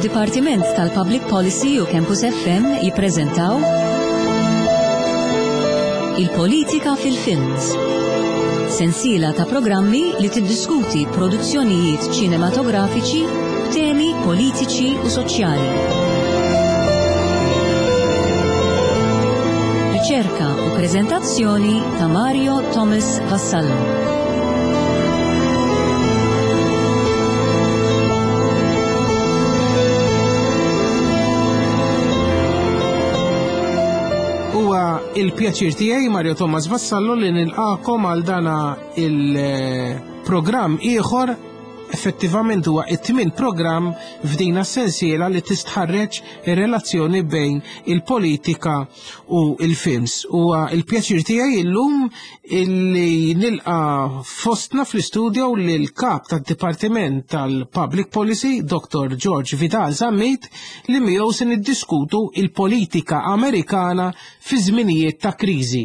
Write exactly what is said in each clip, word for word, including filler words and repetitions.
Id-Dipartiment tal-Public Policy u Campus F M jippreżentaw Il-Politika fil-Films. Sensiela ta' programmi li tiddiskuti produzzjonijiet ċinematografiċi b'temi politiċi u soċjali. Riċerka u preżentazzjoni ta' Mario Thomas Vassallo. Huwa il-pjaċir tiegħi Mario Thomas Vassallo li nilqakom għal dana il-programm ieħor. Effettivament huwa it-tmien programm f'dina sensiela li tistħarreġ ir-relazzjoni bejn il-politika u il-films. Huwa il-pjaċir tiegħi illum illi nilqa fostna fl-istudio lil kap tad-Dipartiment tal-Public Policy, Doktor George Vidal Zammit, li miegħu se niddiskutu il-politika Amerikana fi żminijiet ta' kriżi.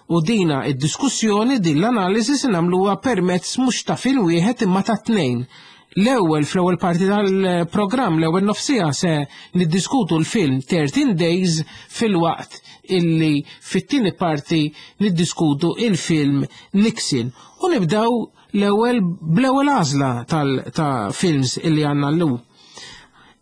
U dina id-diskussjoni, din l-analiżi se nagħmluha permezz mhux ta' film wieħed imma ta' tnejn. L-ewwel fl-ewwel parti tal-programm, l-ewwel nofsija se niddiskutu l-film thirteen Days, filwaqt illi fit-tieni parti niddiskutu il-film Nixon. U nibdew l-ewwel bl-ewwel għażla tal-, ta' films illi għandna llum.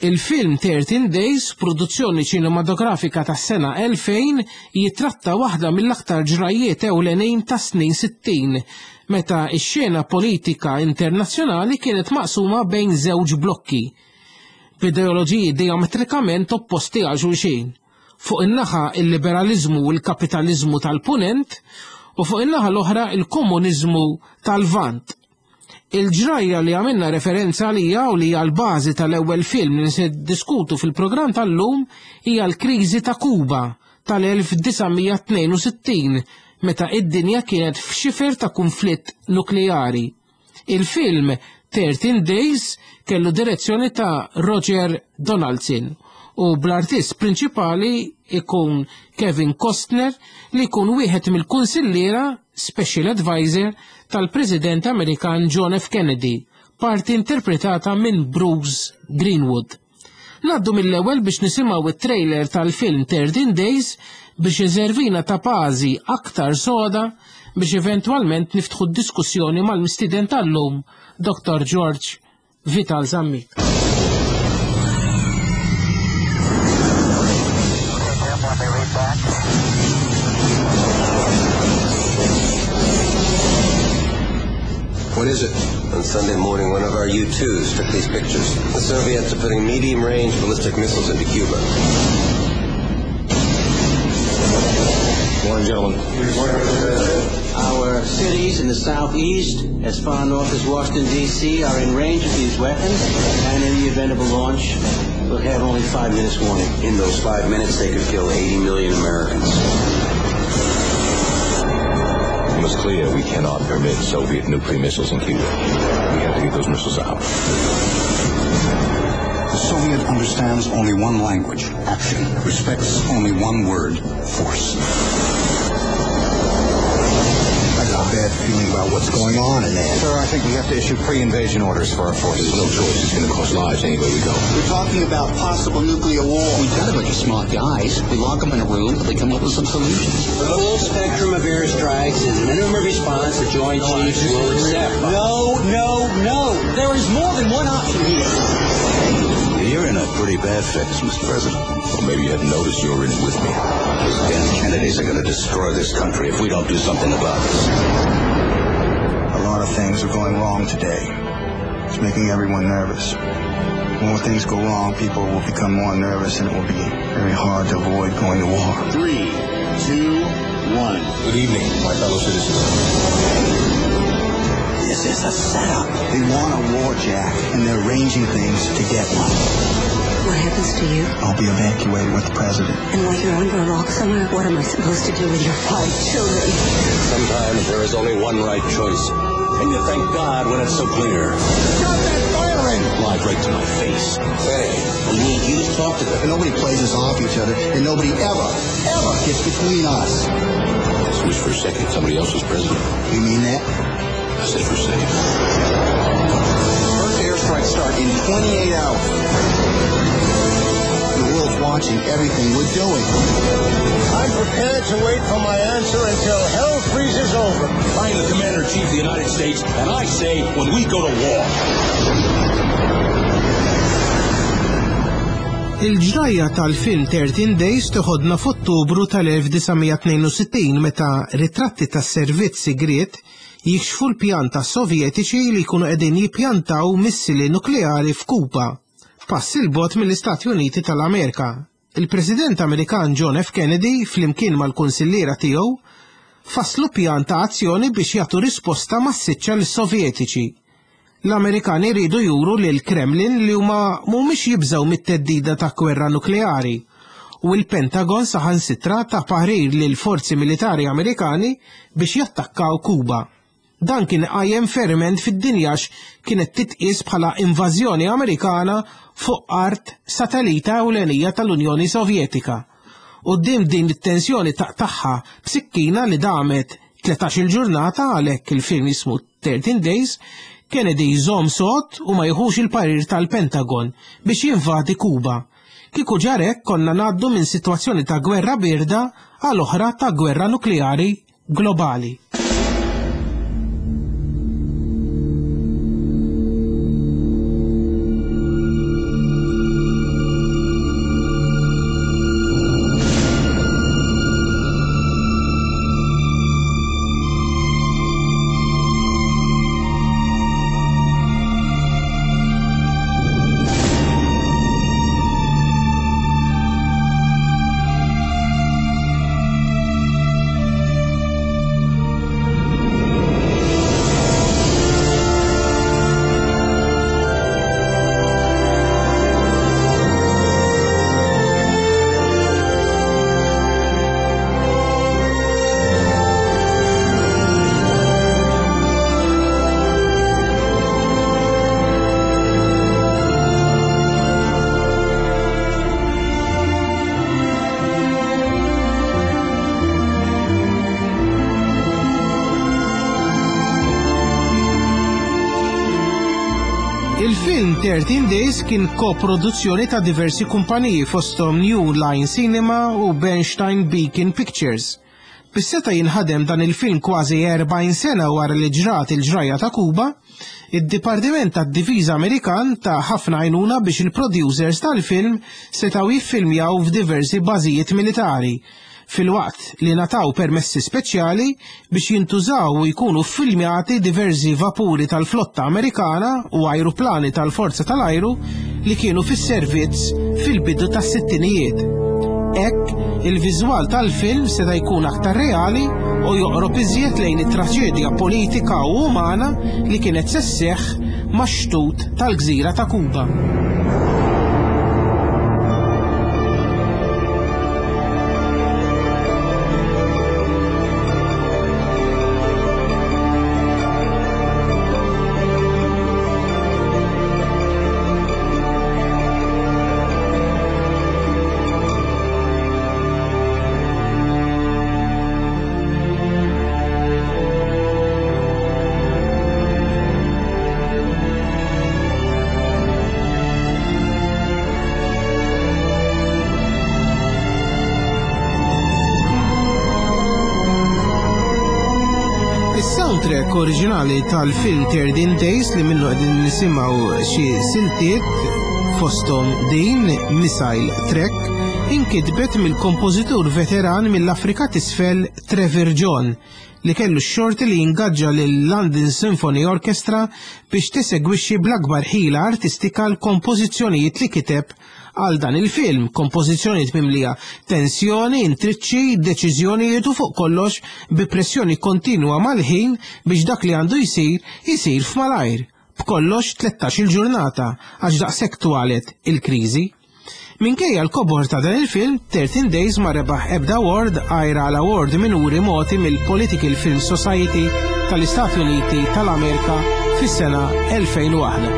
Il-film thirteen Days, produzzjoni ċinematografika tas-sena elfejn, jitratta waħda mill-aktar ġrajiet ewlenin tas snin sittin, meta x-xena politika internazzjonali kienet maqsuma bejn żewġ blokki, b'ideoloġiji diametrikament opposti għal xulxin. Fuq in-naħa il-liberalizmu u l-kapitalizmu tal-punent, u fuq in-naħa l-oħra il-komuniżmu tal-Lvant. Il-ġrajja li għamilna referenza għalija u li hija l-bażi tal-ewwel film li se diskutu fil-programm tal-lum hija l-kriżi ta' Kuba tal-elf disa' mija tnejn u sittin, meta id-dinja kienet f'xifer ta' konflitt nukleari. Il-film thirteen Days kellu direzzjoni ta' Roger Donaldson u bl-artist prinċipali ikun Kevin Costner, li jkun wieħed mill-kunsilliera Special Advisor tal-President Amerikan John F. Kennedy, parti interpretata minn Bruce Greenwood. Naddu mill-ewwel biex nisimgħu it-trailer tal-film thirteen Days biex iservina ta' bażi aktar soda biex eventwalment niftħu d-diskussjoni mal-mistieden tal-lum, Doktor George Vital Zammit. What is it? On Sunday morning, one of our U twos took these pictures. The Soviets are putting medium-range ballistic missiles into Cuba. Morning, gentlemen. Our cities in the southeast, as far north as Washington, D C, are in range of these weapons, and in the event of a launch, we'll have only five minutes warning. In those five minutes, they could kill eighty million Americans. It was clear we cannot permit Soviet nuclear missiles in Cuba. We have to get those missiles out. The Soviet understands only one language, action. Respects only one word, force. I got a bad feeling about what's going on in there. Sir, I think we have to issue pre-invasion orders for our forces. There's no choice. It's gonna cost lives anywhere we go. We're talking about possible nuclear war. We've got a bunch of smart guys. We lock 'em in a room, but they come up with some solutions. The full spectrum of airstrikes is the minimum response the Joint Chiefs will accept. No, no, no. There is more than one option here. You're in a pretty bad fix, Mister President. Well, maybe you hadn't noticed you were in it with me. Those damn Kennedys are gonna destroy this country if we don't do something about this. A lot of things are going wrong today. It's making everyone nervous. The more things go wrong, people will become more nervous, and it will be very hard to avoid going to war. Three, two, one. Good evening, my fellow citizens. This is a setup. They want a war, Jack, and they're arranging things to get one. What happens to you? I'll be evacuated with the president. And while you're under a rock somewhere, what am I supposed to do with your five children? Sometimes there is only one right choice, and you thank God when it's so clear. Stop that firing! Lied right to my face. Hey, we need you to talk to them. And nobody plays us off each other, and nobody ever, ever gets between us. I just wish for a second somebody else was president. You mean that? I said for a second. First airstrikes start in twenty-eight hours. watching everything we're doing. I'm prepared to wait for my answer until hell freezes over. I'm the Commander-in-Chief of the United States, and I say when we go to war. Il-ġrajja tal-film thirteen Days toħodna f'Ottubru tal-elf disa' mija tnejn u sittin meta ritratti tas-servizz sigriet jikxfu l-pjan tas-Sovjetiċi li jkunu qegħdin jippjantaw missili nukleari f'Kuba, pass il bogħod mill-Istati Uniti tal-Amerika. Il-President Amerikan John F. Kennedy flimkien mal-kunsilliera tiegħu fasslu pjan ta' azzjoni biex jagħtu risposta massiċċa lis-Sovjetiċi. L-Amerikani rridu juru lil Kremlin li huma mhumiex jibżgħu mit-theddida ta' gwerra nukleari u l-Pentagon saħansitra ta' parir lil forzi militari Amerikani biex jattakkaw Kuba. Dan kien qajjem ferment fid-dinja għax kienet titqies bħala invażjoni Amerikana fuq art satellita ewlenija tal-Unjoni Sovjetika. Quddiem din it-tensjoni taqtagħha b'sikkina li damet tlettax-il ġurnata, għalhekk il-film jismu thirteen Days, Kennedy jżomm sod u ma jieħux il-parir tal-Pentagon biex jinvadi Kuba. Kieku ġarek konna ngħaddu minn sitwazzjoni ta' gwerra birda għal oħra ta' gwerra nukleari globali. Il-film thirteen Days kien koproduzzjoni ta' diversi kumpaniji fosthom New Line Cinema u Bernstein Beacon Pictures. Bis-seta jinħadem dan il-film kważi erbgħin sena wara li ġrat il-ġrajja ta' Kuba, id-Dipartiment tad-Difiża Amerikan ta' ħafna għajnuna biex il-producers tal-film setgħu jiffilmjaw f'diversi bażijiet militari, filwaqt li nataw permessi speċjali biex jintużaw u jkunu ffilmjati diversi vapuri tal-flotta Amerikana u ajruplani tal-forza tal-ajru li kienu fis-servizz fil-bidu tas-sittinijiet. Hekk, il-viżwal tal-film seta' jkun aktar reali u joqrob iżjed lejn it-traċedja politika u umana li kienet se sseħħ max-xtut tal-gżira ta' Kuba. Is-soundtrack oriġinali tal-film thirteen Days li minnu qegħdin nisimgħu xi siltiet fosthom din Missile Track inkitbet mill-kompożitur veteran mill-Afrika t'Isfel Trevor John li kellu x-xorti li jingaġġa lil London Symphony Orchestra biex tesegwixxi bl-akbar ħila artistika l-kompożizzjonijiet li kiteb għal dan il-film, kompożizzjonijiet mimlija tensjoni, intriċċi, deċiżjonijiet u fuq kollox bi pressjoni kontinwa mal-ħin biex dak li għandu jsir, jsir f'malajr. B'kollox tlettax-il ġurnata għax daqshekk twalet il-kriżi. Minkejja l-kobor ta' dan il-film, thirteen Days ma rebaħ ebda award għajr għal award minuri moti mill-Political Film Society tal-Istati Uniti tal-Amerika fis-sena elfejn u waħda.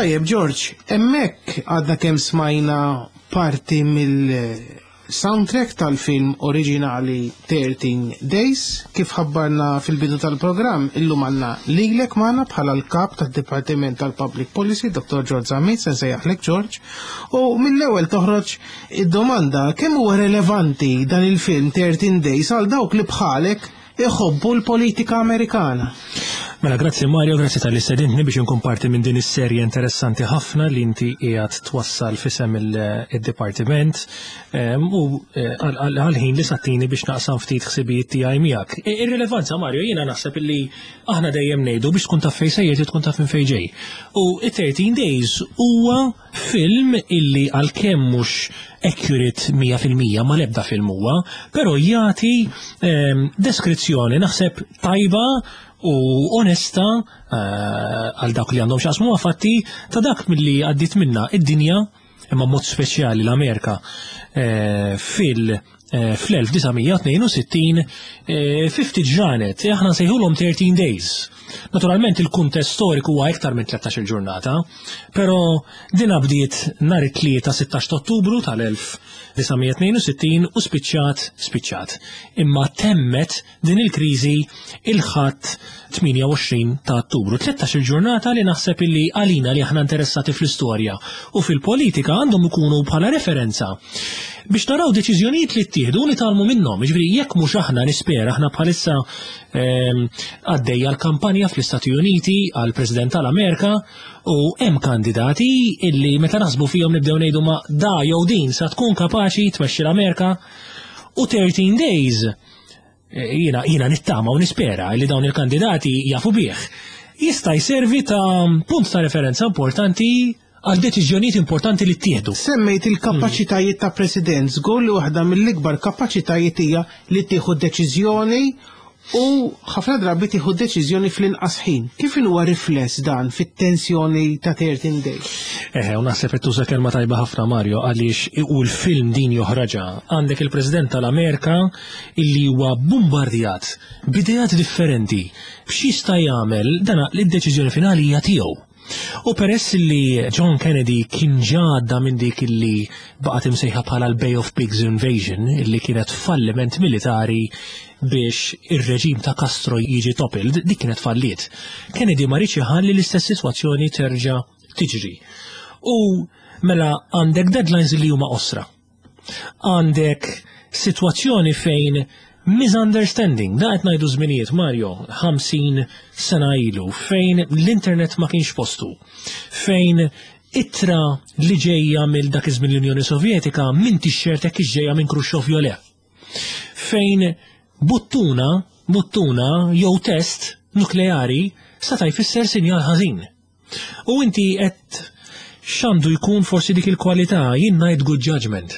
Tajjeb, George, hemmhekk għadna kemm smajna parti mill-soundtrack tal-film oriġinali thirteen Days. Kif ħabbarna fil-bidu tal-programm, illum għandna lilek magħna bħala l-kap tad-Dipartiment tal-Public Policy, Dottor George Zammit, se nsejjaħlek George, u mill-ewwel toħroġ id-domanda kemm huwa relevanti dan il-film thirteen Days għal dawk li bħalek iħobbu l-politika Amerikana. Mela, grazzi Mario, grazzi tal-istedintni biex nkun parti minn din is-serje interessanti ħafna li inti qiegħed twassal fisem il-dipartiment u għal-ħin li sattini biex naqsam ftit ħsibijiet tiegħi miegħek. Ir-rilevanza, Mario, jiena naħseb illi aħna dejjem ngħidu biex tkun taf fejn sejjer tkun taf minn fejn ġej. U thirteen Days huwa film illi għalkemm mhux accurate mija fil-mija ma l-ebda film huwa, però jagħti deskrizzjoni naħseb tajba u onesta għal dak li għandhom x'jaqsmu fatti ta' dak milli għaddit minna id-dinja, imma mod speċjali l-Amerika fil fl-elf disa' mija tnejn u sittin fifty ġranet, aħna nsejħulhom thirteen Days. Naturalment il-kuntest storiku huwa iktar minn tlettax-il ġurnata, però din bdiet nhar it-tlieta sittax ta' Ottubru tal-elf disa' mija tnejn u sittin u spiċċat spiċċat. Imma temmet din il-kriżi il-Ħadd tmienja u għoxrin ta' Ottubru. Tlettax-il ġurnata li naħseb illi għalina li aħna interessati fl-istorja u fil-politika għandhom ikunu bħala referenza biex naraw deċiżjonijiet li ttieħdu u nitgħallmu minnhom. Jiġifieri jekk mhux aħna nispera, aħna bħalissa, ehm, għaddejja l-kampanja fl-Istati Uniti għal President tal-Amerika u hemm kandidati illi meta naħsbu fihom nibdew ngħidu ma da jew din sa tkun kapaċi tmexxi l-Amerika. U thirteen Days, eh, jiena, jiena nittama u nispera li dawn il-kandidati jafu bih. Jista' jservi ta' punt ta' referenza importanti għal deċiżjonijiet importanti li ttieħdu. Semmejt il-kapaċitajiet ta' president, żgur li waħda mill-ikbar kapaċitajiet hija li tieħu deċiżjoni u ħafna drabi tieħu deċiżjoni fl-inqas ħin. Kif huwa rifless dan fit-tensjoni ta' thirteen Days? Eħe, u naħseb qed tuża kelma tajba ħafna Mario, għaliex u l-film din joħraġa. Għandek il-President tal-Amerika illi huwa bombardjat b'ideat differenti b'x'jista' jagħmel dana li d-deċiżjoni finali hija tiegħu. U peress li John Kennedy kien ġadda minn dik illi baqgħet imsejħa bħala l-Bay of Pigs Invasion, illi kienet falliment militari biex ir-reġim ta' Castro jiġi toppled, dik kienet falliet. Kennedy ma riedx iħalli l-istess sitwazzjoni terġa' tiġri. U mela għandek deadlines li huma qosra. Għandek sitwazzjoni fejn misunderstanding, da qed ngħidu żminijiet Mario, ħamsin sena ilu, fejn l-internet ma kienx postu, fejn ittra li ġejja mill dak iż-żmien l-Unjoni Sovjetika minn t-shirt hekk ġejja minn Khrushchev jew le. Fejn buttuna, buttuna jew test nukleari seta' jfisser sinjal ħażin. U inti qed x'għandu jkun forsi dik il-kwalità, jien ngħid good judgment.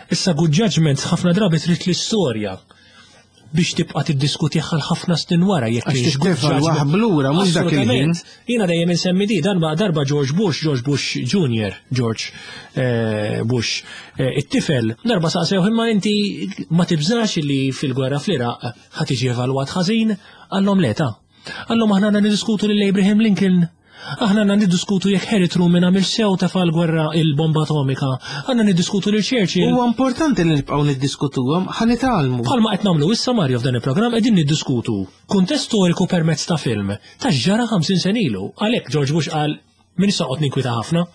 Issa good judgment ħafna drabi trid l-istorja biex tibqa' tiddiskuti għal ħafna snin wara jekk Għax kienx good tittefa' judgment. waħb lura, mhux dak il-ħin. Assolutament. Jiena dejjem insemmi di, darba, darba George Bush, George Bush Junior, George, eh, Bush, eh, it-tifel, darba saqsew imma inti ma tibżax li fil-gwerra fl-Iraq ħa tiġi evalwat ħażin, għallhom le ta. Għallhom aħna għandna niddiskutu lil Abraham Lincoln. Aħna għandna niddiskutu jekk Harry Truman għamil sew tefa' l-gwerra il-bomba atomika. Għandna niddiskutu lil Churchill. Huwa importanti li nibqgħu niddiskutuhom, ħa nitgħallmu. Bħalma qed nagħmlu issa Mario f'dan il-programm qegħdin niddiskutu kuntest storiku permezz ta' film ta' ġara ħamsin sena ilu. Għalhekk George Bush qal min issa qgħod ninkwita ħafna.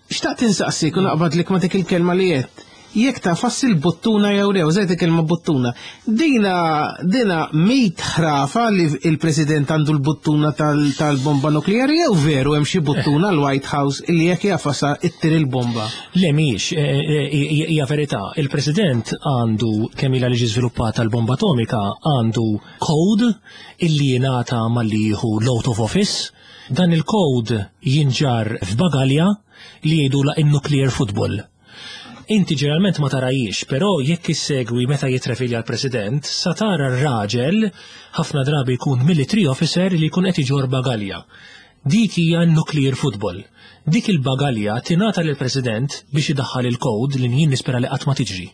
Xtaqt insaqsik u naqbadlek ma' dik il-kelma li qed. Jekk tafas il-buttuna jew le, użajt il-kelma buttuna. Dina, dina mit ħrafa li il-President għandu l-buttuna tal-, tal-bomba nukleari jew veru hemm xi buttuna l-White House li jekk jafasa ittir il-bomba? Le mhijiex, eh, eh, eh, hija verità. Il-President għandu kemm ilha li ġi żviluppata l-bomba atomika għandu code illi jingħata malli jieħu l-out of office. Dan il-code jinġar f'bagalja li jgħidula in-nuclear football. Inti ġeneralment ma tarajiex, però jekk issegwi meta jitrefilja l-President, sa tara r-raġel ħafna drabi jkun military officer li jkun qed iġor bagalja. Dik hija nuclear football. Dik il-bagalja tingħata lill-President biex idaħħal il-kod li jien nispera li qatt ma tiġri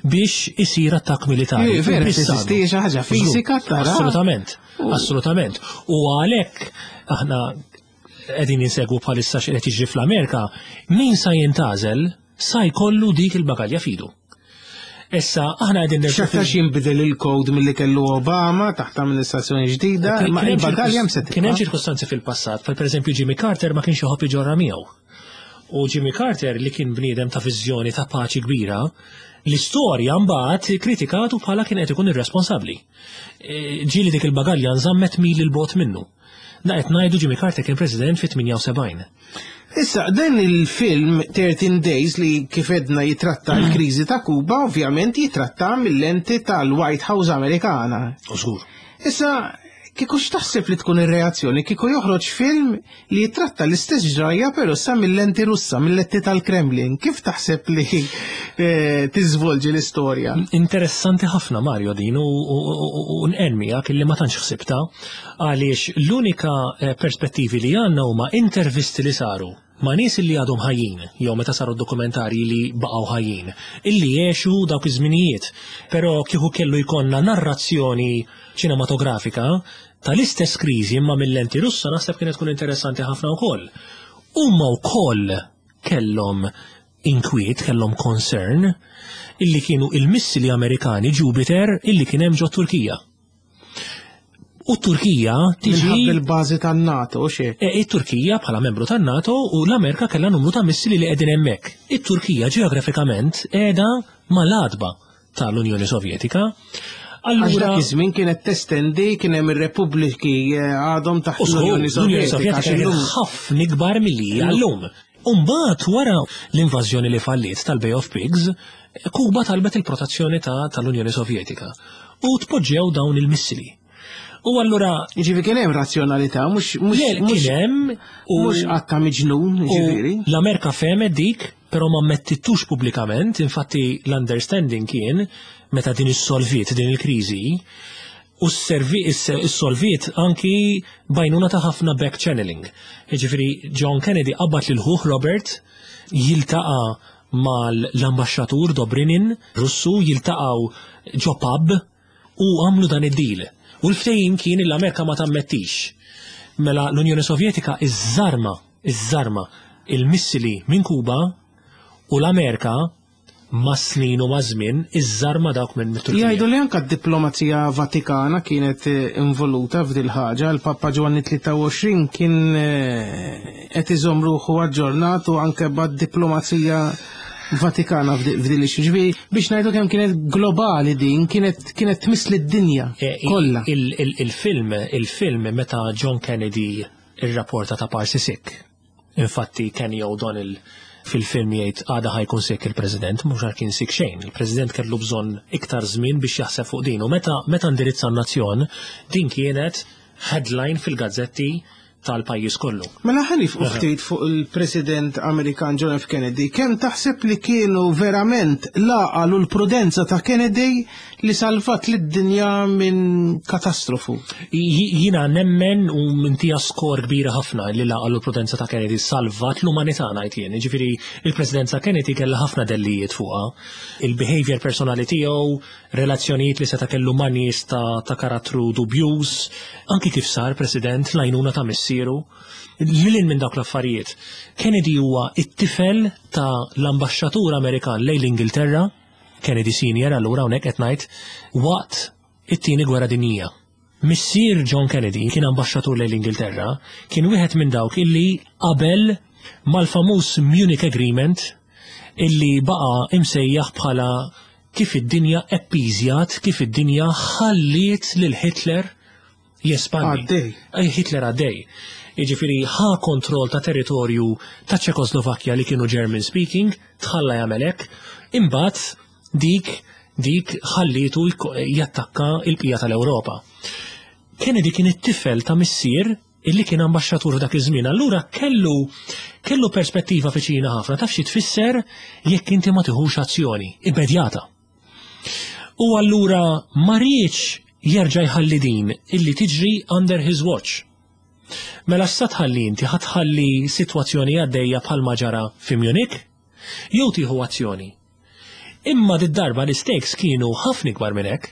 biex isir attakk militari. Ej, vera, Biss teżisti għandu. xi ħaġa fiżika tara. Assolutament, assolutament. U għalhekk aħna qegħdin insegwu bħalissa x'qed jiġri fl-Amerika, min sa jintgħażel sa jkollu dik il-bagalja f'idu. Issa aħna qegħdin X'aktarx jinbidel il-code milli kellu Obama taħt amministrazzjoni ġdida, ma il-bagalja mse Kien hemm ċirkustanzi fil-passat, per pereżempju Jimmy Carter ma kienx iħobb iġorra miegħu. U Jimmy Carter li kien bniedem ta' viżjoni ta' paċi kbira, l-istorja mbagħad kritikatu bħala kien qed ikun irresponsabbli. E, Ġieli dik il-bagalja nżammet mil 'il bogħod minnu. Da qed ngħidu Jimmy Carter kien president fit-tmienja u sebgħin. Issa, dan il-film thirteen Days li kif għedna jitratta l-kriżi ta' Kuba, ovvjament jitratta mill-lenti tal-White House Amerikana. U żgur. Issa, kieku x'taħseb li tkun ir-reazzjoni kieku joħroġ film li jitratta l-istess ġrajja però sa mill-lenti Russa, mill-lenti tal-Kremlin? Kif taħseb li eh, tiżvolġi l-istorja? Interessanti ħafna, Mario, din u u nqermijak illi ma tantx ħsibta, għaliex l-unika eh, perspettivi li għandna huma intervisti li saru ma' nies li għadhom ħajjin, jew meta saru dokumentarji li baqgħu ħajjin, illi jgħixu dawk iż-żminijiet. Però kieku kellu jkollna narrazzjoni ċinematografika tal-istess kriżi imma mill-lenti Russa, naħseb kienet tkun interessanti ħafna wkoll. Huma wkoll kellhom inkwiet, kellhom concern illi kienu il-missili Amerikani Jupiter illi kien hemm ġo Turkija. U Turkija tiġi Minħabba il-bażi tan-NATO, xie? E, it-Turkija bħala membru tan-NATO u l-Amerika kellha numru ta' missili li qegħdin hemmhekk. It-Turkija ġeografikament qiegħda mal-għatba tal-Unjoni Sovjetika. Għax Allura dak iż-żmien kienet testendi, kien hemm ir-repubbliki eh, għadhom taħt U żgur, l-Unjoni l-Unjoni Sovjetika. Sovjetika Għax kienet illum ħafna ikbar milli hija llum. Umbagħad wara l-invażjoni li falliet tal-Bay of Pigs, Kuba talbet il-protezzjoni ta' tal-Unjoni Sovjetika u tpoġġew dawn il-missili. U allura Jiġifieri kien hemm razzjonalità, mhux mhux Le, mhux kien hemm u mhux għatta miġnun, U jiġifieri. l-Amerika fehmet dik, però ma mettitux pubblikament, infatti l-understanding kien meta din issolviet din il-kriżi, u s-servi issolviet anki b'għajnuna ta' ħafna back channeling. Jiġifieri John Kennedy qabad lil ħuh Robert jiltaqa' mal-ambaxxatur Dobrynin Russu, jiltaqgħu ġo pub u għamlu dan id-deal. U l-ftehim kien l-Amerika ma tammettix. Mela l-Unjoni Sovjetika iżżarma, iżżarma il-missili minn Kuba u l-Amerika ma' snin u ma' żmien iżżarma dawk minn Turkija. Jgħidu li anka d-diplomazija Vatikana kienet eh, involuta f'dil ħaġa. Il-Papa Giovanni tlieta u għoxrin kien eh, qed iżomm ruħu aġġornat u anke bad diplomazija Vatikana f'di- f'dil issue. Ġifieri biex ngħidu kemm kienet globali din, kienet kienet tmiss lid-dinja Eh, il- kollha. il- il- Il-film, il-film meta John Kennedy ir-rapporta ta' parsi sick. Infatti Kenny O'Donnell fil-film jgħid għada ħa jkun sick il-President, mhux għar kien sick xejn. Il-President kellu bżonn iktar żmien biex jaħseb fuq din. U meta meta indirizza n-nazzjon, din kienet headline fil-gazzetti tal-pajjiż kollu. Mela ħa nieqfu ftit fuq il-President Amerikan John F. Kennedy. Kemm taħseb li kienu verament l-għaqal u l-prudenza ta' Kennedy li salvat lid-dinja minn katastrofu? J- Jina nemmen u ntiha skor kbira ħafna li l-għaqal u l-prudenza ta' Kennedy salvat l-umanità, ngħid jien. Ġifieri il-presidenza Kennedy kellha ħafna dellijiet fuqha. Il-behavior personali tiegħu, relazzjonijiet li seta' kellu ma' nies ta', ta' karattru dubjuż, anki kif sar president, l-għajnuna ta' missieru. Lil hinn minn dawk l-affarijiet. Kennedy huwa it-tifel ta' l-ambaxxatur Amerikan lejn l-Ingilterra, Kennedy Senior, allura hawnhekk qed ngħid waqt it-tieni gwerra dinjija. Missier John Kennedy kien ambaxxatur lejn l-Ingilterra, kien wieħed minn dawk illi qabel mal-famuż Munich Agreement illi baqa imsejjaħ bħala kif id-dinja appeasjat, kif id-dinja ħalliet lil Hitler jespandi. Għaddej. Ej, Hitler għaddej. Jiġifieri ħa kontroll ta' territorju ta' Ċekoslovakkja li kienu German speaking, tħalla jagħmel hekk, imbagħad dik dik ħallitu jko- jattakka il-bqija tal-Ewropa. Kennedy kien it-tifel ta' missier illi kien ambaxxatur dak iż-żmien. Allura kellu kellu perspettiva viċina ħafna taf xi tfisser jekk inti ma tiħux azzjoni immedjata. U allura ma riedx jerġa' jħalli din illi tiġri under his watch. Mela sa tħalli inti ħa tħalli sitwazzjoni għaddejja bħalma ġara fi Munich, jew tieħu azzjoni. Imma did-darba l-stakes kienu ħafna ikbar minn hekk.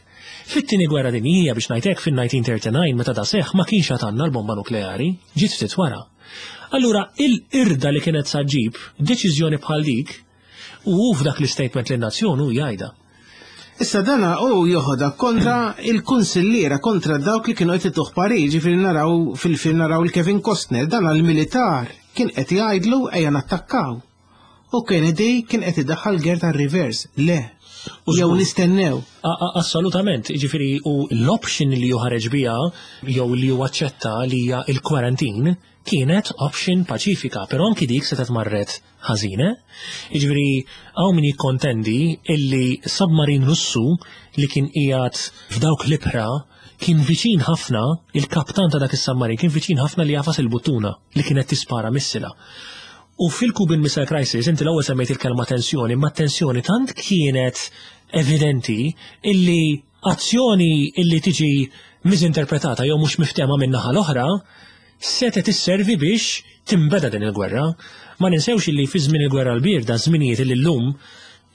Fit-tieni gwerra dinjija, biex ngħidlek, fin-elf disa' mija u tlieta u tletin meta da seħ ma kienx għad għandna l-bomba nukleari, ġiet ftit wara. Allura il-irda li kienet sa ġġib deċiżjoni bħal dik, u f'dak l-statement lin-nazzjon hu jgħidha. Issa dana u joħodha kontra il-kunsilliera, kontra dawk li kienu qed ituh parir, ġifieri naraw fil-film naraw il-Kevin Costner, dana l-militar kien qed jgħidlu ejja nattakkaw. U Kennedy kien qed idaħħal gear tar-reverse, le. U Jew żgur. nistennew. A- a- Assolutament, ġifieri u l-option li ħareġ biha jew li hu aċċetta li hija il-quarantine kienet option paċifika, però anki dik setgħet marret ħażina. Ġifieri hawn min jikkontendi illi submarine Russu li kien qiegħed f'dawk l-ibħra kien viċin ħafna, il-kaptan ta' dak is-submarine kien viċin ħafna li jagħfas il-buttuna li kienet tispara missila. U fil-Cuban Missile Crisis, inti l-ewwel semmejt il-kelma tensjoni, ma tensjoni tant kienet evidenti illi azzjoni illi tiġi misinterpretata jew mhux miftehma minn naħa l-oħra setgħet isservi biex timbeda din il-gwerra. Ma ninsewx illi fi żmien il-gwerra l-bierda, żminijiet illi llum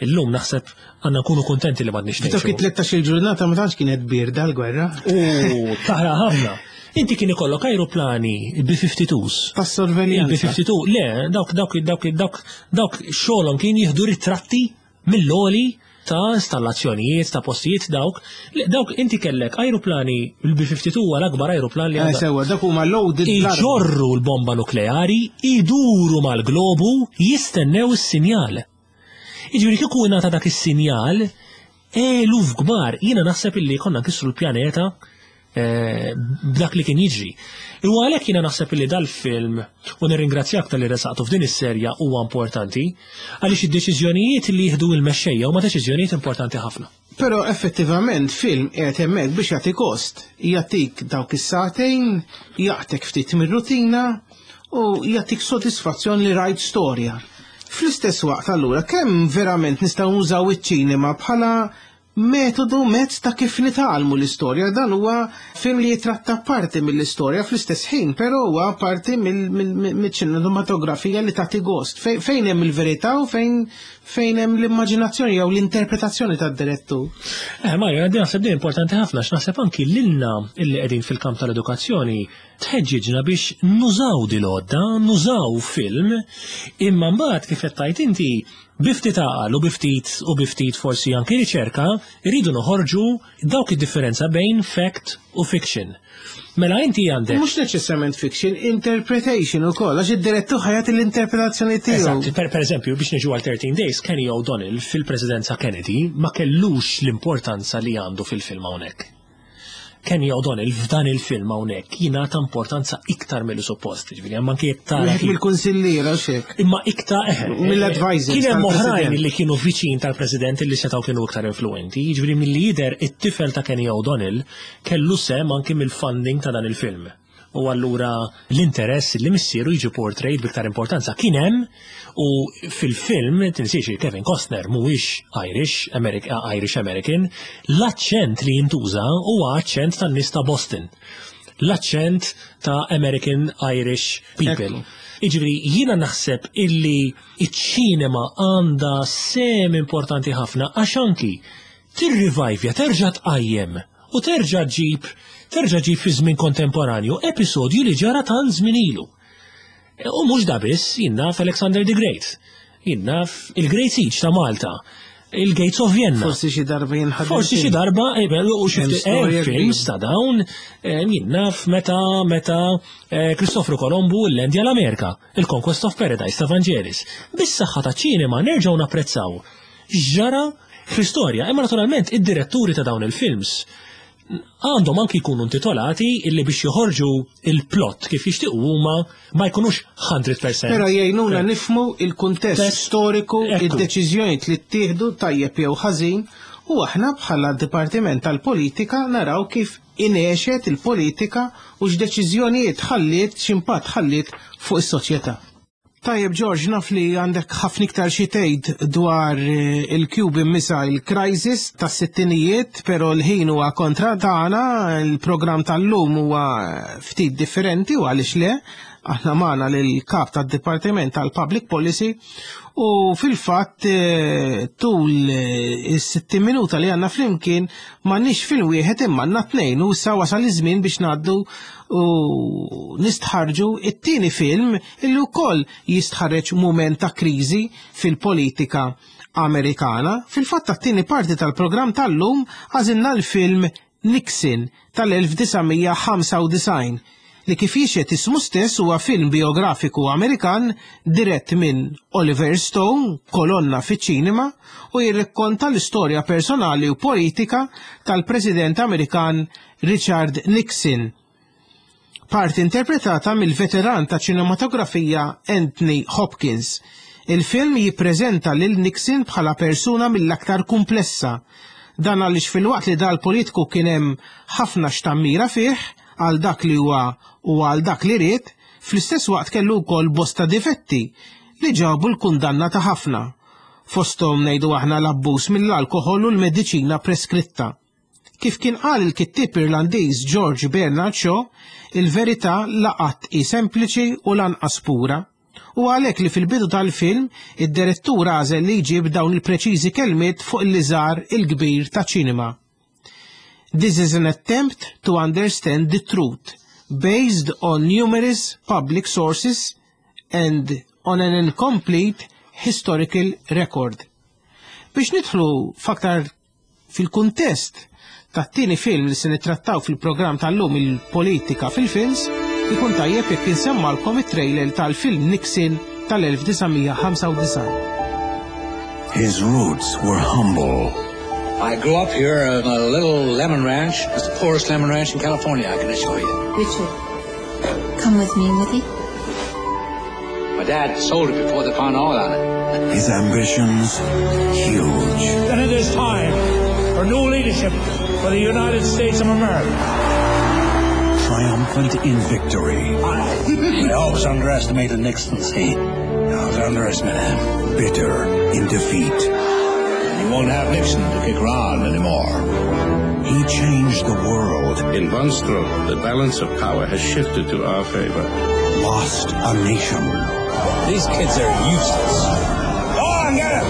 illum naħseb għandna nkunu kontenti li m'għadniex F'dawk ngħixu. it-tlettax-il ġurnata ma tantx kienet bierda l-gwerra. U taħraq ħafna. Inti kien ikollok aeroplani B fifty twos. Tas-sorveljanza. Il-B fifty two, le, dawk, dawk, dawk, dawk, dawk xogħolhom kien jieħdu ritratti mill-għoli ta' installazzjonijiet, ta' postijiet dawk. Le, dawk inti kellek aeroplani, il-B fifty two huwa l-akbar aeroplan li Eh, għandha. Sewa, dak huma loaded bl-armi. Iġorru l-bomba nukleari, iduru mal-globu, jistennew is-sinjal. Jiġifieri kieku ngħata dak is-sinjal, eluf kbar, jiena naħseb illi konna nkissru l-pjaneta eh, b'dak li kien jiġri. U għalhekk jiena naħseb illi dal-film, u nirringrazzjak talli ressaqtu f'din is-serja, huwa importanti, għaliex id-deċiżjonijiet li jieħdu il-mexxejja huma deċiżjonijiet importanti ħafna. Però effettivament film qiegħed hemmhekk biex jagħti gost, jagħtik dawk is-sagħtejn, jaqtgħek ftit mir-rutina u jagħtik sodisfazzjon li rajt storja. Fl-istess waqt allura kemm verament nistgħu nużaw iċ-ċinema bħala metodu, mezz ta' kif nitgħallmu l-istorja? Dan huwa film li jitratta parti mill-istorja fl-istess ħin, però huwa parti mill-ċinematografija li tagħti gost. Fejn fejn hemm il-verità u fejn fejn hemm l-immaġinazzjoni jew l-interpretazzjoni tad-direttur? Eh, Mario, għandi naħseb din importanti ħafna, x'naħseb anki lilna illi qegħdin fil-kamp tal-edukazzjoni tħeġġiġna biex nużaw dil-għodda, nużaw film, imma mbagħad kif qed tgħid inti bi ftit għaqal u bi ftit u bi ftit forsi anki riċerka, irridu noħorġu dawk id-differenza bejn fact u fiction. Mela inti għandek Mhux neċessarjament fiction, interpretation ukoll, għax id-direttur ħa jagħti l-interpretazzjoni tiegħu. Eżatt, per, per eżempju, biex niġu għal thirteen Days, Kenny O'Donnell fil-presidenza Kennedy ma kellux l-importanza li għandu fil-film hawnhekk. Kenny O'Donnell f'dan il-film hawnhekk jingħata importanza iktar mill suppost, ġifieri hemm anke jekk tara Wieħed kif- mill-kunsilliera u xek. Imma iktar eh, Mill-advisors kien hemm oħrajn tal-President. li kienu viċin tal-President li setgħu kienu iktar influenti, jiġifieri milli jidher it-tifel ta' Kenny O'Donnell kellu sehem anki mill-funding ta' dan il-film. U allura l-interess li missieru jiġi portrayed biktar importanza kien hemm, u fil-film tinsiex li Kevin Costner mhuwiex Irish, Americ Irish American, l-aċċent li jintuża huwa aċċent tan-nies ta' Boston. L-aċċent ta' American Irish people. Iġifieri, jiena naħseb illi iċ-ċinema għandha sehem importanti ħafna għax anki tirrivajvja, terġa' tqajjem u terġa' ġib terġa' ġib fi żmien kontemporanju episodju li ġara tant żmien ilu. U mhux da biss, jien naf Alexander the Great, jien naf il-Great Siege ta' Malta, il-Gates of Vienna. Forsi xi darba jinħadem. Forsi xi darba, eh, beh, u xi Hemm ftit- storja eh, films ta' dawn, eh, jien naf meta meta eh, Kristofru Kolombu l-Endja l-Amerika, il-Conquest of Paradise ta' Vangelis. Bis-saħħa ta' ċinema nerġgħu napprezzaw ġara fl-istorja, imma naturalment id-diretturi ta' dawn il-films għandhom anki jkunu intitolati illi biex joħorġu il-plot kif jixtiequ huma, ma jkunux mija fil-mija. Però jgħinuna nifhmu il-kuntest Test. storiku, Ekku. id-deċiżjonijiet li ttieħdu, tajjeb jew ħażin, u aħna bħala Dipartiment tal-Politika naraw kif ingħexet il-politika u x'deċiżjonijiet ħalliet, x'impatt ħalliet fuq is-soċjetà. Tajjeb George, naf li għandek ħafna iktar xi tgħid dwar eh, il-Cuban Missile Crisis tas-sittinijiet, però l-ħin huwa kontra tagħna, il-programm tal-lum huwa ftit differenti u għaliex le. Aħna magħna lill-kap tad-Dipartiment tal-Public Policy u fil-fatt eh, tul eh, is-sittin minuta li għandna flimkien m'għandniex film wieħed imma għandna tnejn u issa wasal iż-żmien biex ngħaddu u nistħarġu it-tieni film illi wkoll jistħarreġ mument ta' kriżi fil-politika Amerikana. Fil-fatt tat-tieni parti tal-programm tal-lum għażilna l-film Nixon tal-elf disa' mija ħamsa u disgħin li, kif jixhed ismu stess, huwa film biografiku Amerikan dirett minn Oliver Stone, kolonna fiċ-ċinema, u jirrakkonta l-istorja personali u politika tal-President Amerikan Richard Nixon. Parti interpretata mill-veteran ta' ċinematografija Anthony Hopkins. Il-film jippreżenta lil Nixon bħala persuna mill-aktar komplessa. Dan għaliex filwaqt li dal-politiku kien hemm ħafna x'tammira fih għal dak li huwa u għal dak li ried, fl-istess waqt kellu wkoll bosta difetti li ġabu l-kundanna ta' ħafna. Fosthom, ngħidu aħna, l-abbuż mill-alkoħol u l-mediċina preskritta. Kif kien qal il-kittib Irlandiż George Bernard Shaw, il-verità la qatt hi sempliċi u lanqas pura. U għalhekk li fil-bidu tal-film id-direttur għażel li jġib dawn il-preċiżi kelmiet fuq il-liżar il-kbir ta' ċinema: "This is an attempt to understand the truth based on numerous public sources and on an incomplete historical record." Biex nidħlu f'aktar fil-kuntest tat-tieni film li se nittrattaw fil-programm tal-lum, il-politika fil-films, ikun tajjeb jekk insemmalkom it-trailer tal-film Nixon tal-elf disa' mija ħamsa u disgħin. His roots were humble. I grew up here on a little lemon ranch. It's the poorest lemon ranch in California, I can assure you. Richard, come with me, will you? My dad sold it before they found oil on it. His ambitions huge. Then it is time for new leadership for the United States of America. Triumphant in victory. I, I always underestimated Nixon, see. I always underestimated him. Bitter in defeat. You won't have Nixon to kick around anymore. He changed the world. In one stroke, the balance of power has shifted to our favor. Lost a nation. These kids are useless. Go on, get him!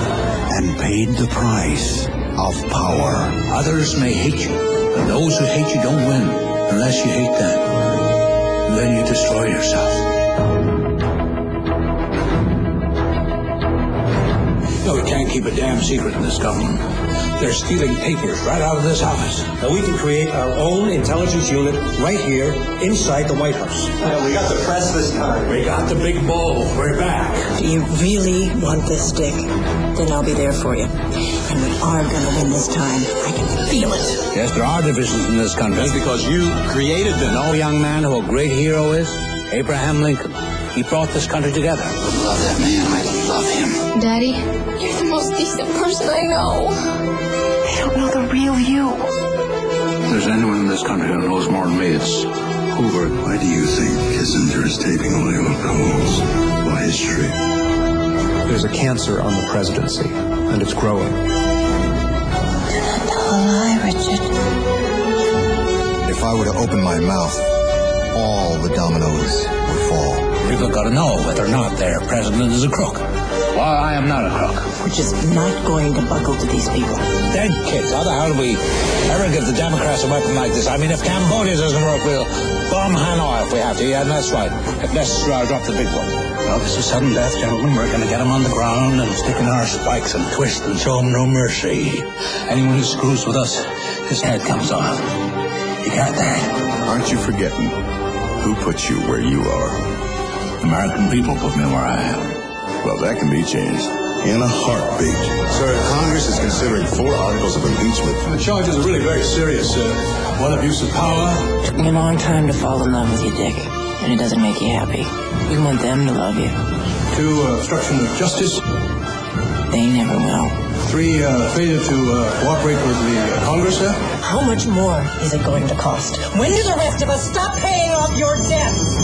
And paid the price of power. Others may hate you, but those who hate you don't win unless you hate them. Then you destroy yourself. No, we can't keep a damn secret in this government. They're stealing papers right out of this office. Now we can create our own intelligence unit right here inside the White House. Yeah, we got the press this time. We got the big bull. We're back. Do you really want this, Dick? Then I'll be there for you. And we are gonna win this time. I can feel it. Yes, there are divisions in this country. That's because you created them. Know, young man, who a great hero is? Abraham Lincoln. He brought this country together. I love that man. I love him. Daddy, you're the most decent person I know. They don't know the real you. If there's anyone in this country who knows more than me, it's Hoover. Why do you think Kissinger is taping all your calls for history? There's a cancer on the presidency, and it's growing. Do not tell a lie, Richard. If I were to open my mouth, all the dominoes would fall. People got to know whether or not their president is a crook. Well, I am not a crook. We're just not going to buckle to these people. Dead kids. How the hell do we ever give the Democrats a weapon like this? I mean, if Cambodia doesn't work, we'll bomb Hanoi if we have to. Yeah, that's right. If necessary, I'll drop the big one. Well, this is sudden death, gentlemen. We're going to get them on the ground and stick in our spikes and twist and show them no mercy. Anyone who screws with us, his head comes off. You got that? Aren't you forgetting who put you where you are? American people put me where I am. Well, that can be changed in a heartbeat. Sir, Congress is considering four articles of impeachment. The charges are really very serious, sir. One, abuse of power. Took me a long time to fall in love with you, Dick. And it doesn't make you happy. You want them to love you. Two, uh, obstruction of justice. They never will. Three, uh, failure to uh, cooperate with the uh, Congress, sir. How much more is it going to cost? When do the rest of us stop paying off your debts?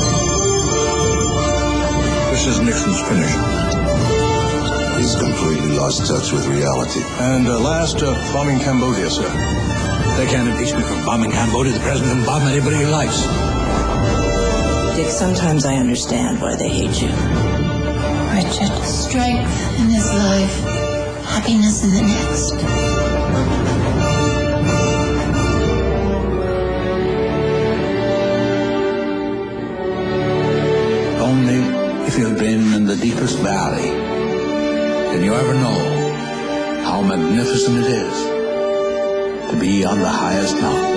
This is Nixon's finish. He's completely lost touch with reality. And uh, last, uh, bombing Cambodia, sir. They can't impeach me for bombing Cambodia. The president can bomb anybody he likes. Dick, Dick, sometimes I understand why they hate you. Richard, strength in this life, happiness in the next. Only if you've been in the deepest valley can you ever know how magnificent it is to be on the highest mountain.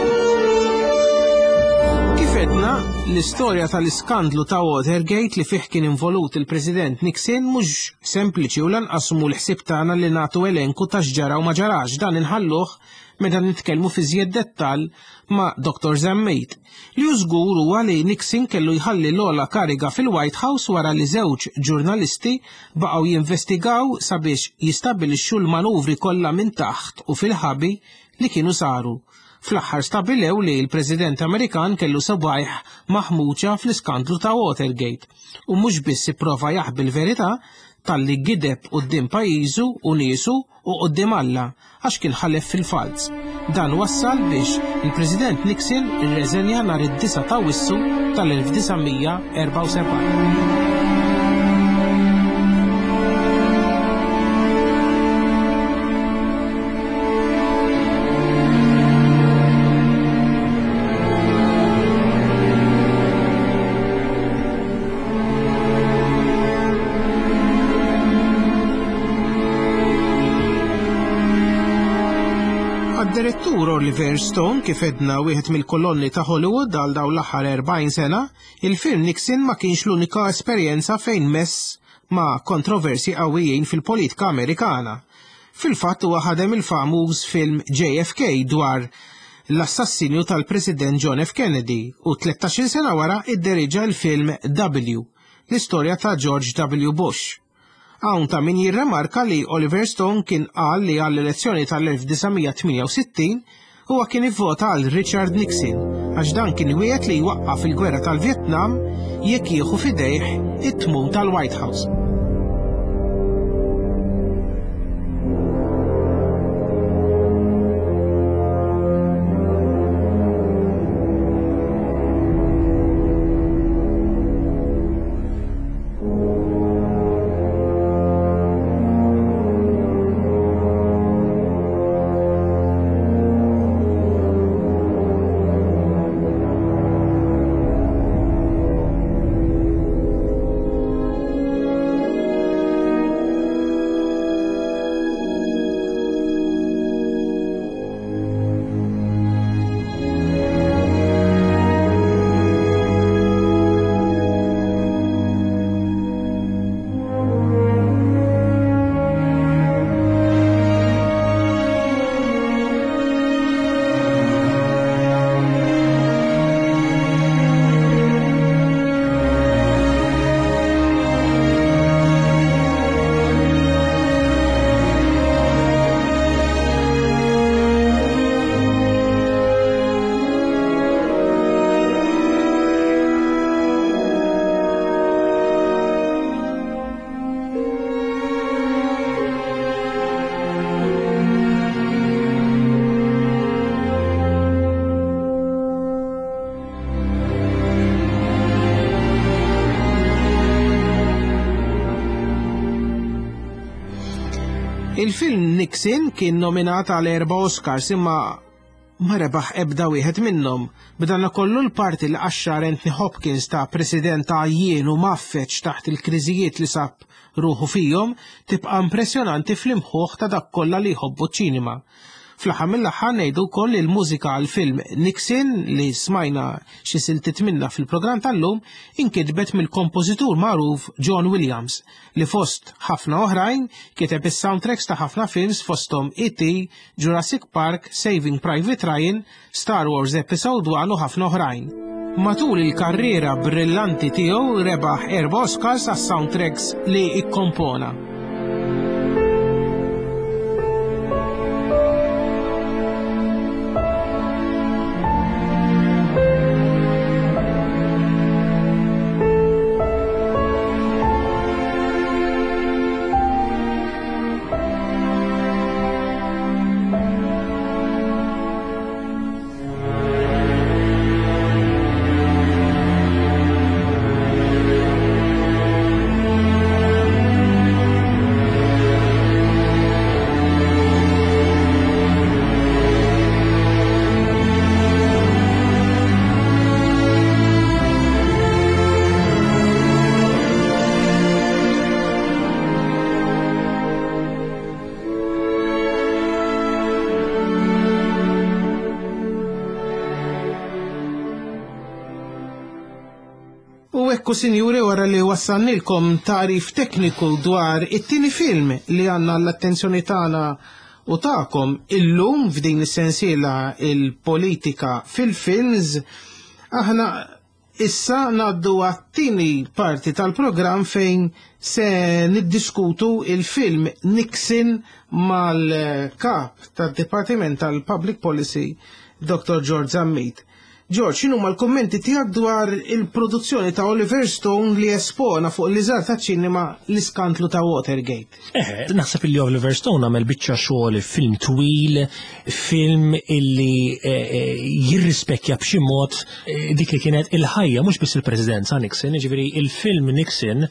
Kif għedna, l-istorja tal-iskandlu ta' Watergate li fih kien involut il-President Nixon mhux sempliċi u lanqas mhu l-ħsieb tagħna li nagħtu elenku ta' x'ġara u ma ġarax, dan inħalluh meta nitkellmu fi żjed dettall ma' Doktor Zammit. Li hu żgur huwa li Nixon kellu jħalli l-ogħla kariga fil-White House wara li żewġ ġurnalisti baqgħu jinvestigaw sabiex jistabbilixxu l-manuvri kollha minn taħt u fil-ħabi li kienu saru. Fl-aħħar stabilew li l-President Amerikan kellu sebgħajh maħmuċa fl-iskandlu ta' Watergate u mhux biss ipprova jaħbi l-verità talli gideb quddiem pajjiżu u niesu u quddiem Alla għax kien ħalef fil-falz. Dan wassal biex il-President Nixon irreżenja nhar id-disa' ta' Awwissu tal-elf disa' mija erbgħa u sebgħin. Direttur Oliver Stone, kif edna wieħed mill-kolonni ta' Hollywood għal dawn l-aħħar erbgħin sena, il-film Nixon ma kienx l-unika esperjenza fejn mess ma' kontroversi qawwijin fil-politika Amerikana. Fil-fatt huwa ħadem il-famuż film J F K dwar l-assassinju tal-President John F. Kennedy u tlettax-il sena wara idderiġa l-film W, l-istorja ta' George W. Bush. Hawn ta' min jirremarka li Oliver Stone kien qal li għall-elezzjoni tal-elf disa' mija tmienja u sittin huwa kien ivvota għal Richard Nixon għax dan kien wieħed li jwaqqaf il-gwerra tal-Vietnam jekk jieħu f'idejh it-tmun tal-White House. Il-film Nixon kien nominat għal erba' Oscars imma ma rebaħ ebda wieħed minnhom. B'dan kollu l-parti li qaxxar Anthony Hopkins ta' president għajjien u maffeċ taħt il-kriżijiet li sab ruħu fihom tibqa' impressjonanti fl-imħuħ ta' dak kollha li jħobbu ċ-ċinema. Fl-aħħar mill-aħħar ngħidu wkoll il-mużika għal film Nixon li smajna xi siltiet minnha fil-programm tal-lum inkitbet mill-kompożitur magħruf John Williams li fost ħafna oħrajn kiteb is-soundtracks ta' ħafna films fosthom E T, Jurassic Park, Saving Private Ryan, Star Wars Episode one u ħafna oħrajn. Matul il-karriera brillanti tiegħu rebaħ erba' Oscars għas-soundtracks li ikkompona. U ekku, sinjuri, wara li wassannilkom tarif tekniku dwar it-tieni film li għandna l-attenzjoni tagħna u tagħkom illum f'din is-sensiela il-politika fil-films, aħna issa ngħaddu għat-tieni parti tal-programm fejn se niddiskutu il-film Nixon mal-kap tad-Dipartiment tal-Public Policy, Doctor George Zammit. George, x'inhu l-kummenti tiegħek dwar il-produzzjoni ta' Oliver Stone li espona fuq l-liżar ta' ċinema l-iskandlu ta' Watergate? Eh, naħseb illi Oliver Stone għamel biċċa xogħol, film twil, film illi eh, eh, jirrispekja b'xi mod eh, dik li kienet il-ħajja, mhux biss il-presidenza Nixon, jiġifieri il-film Nixon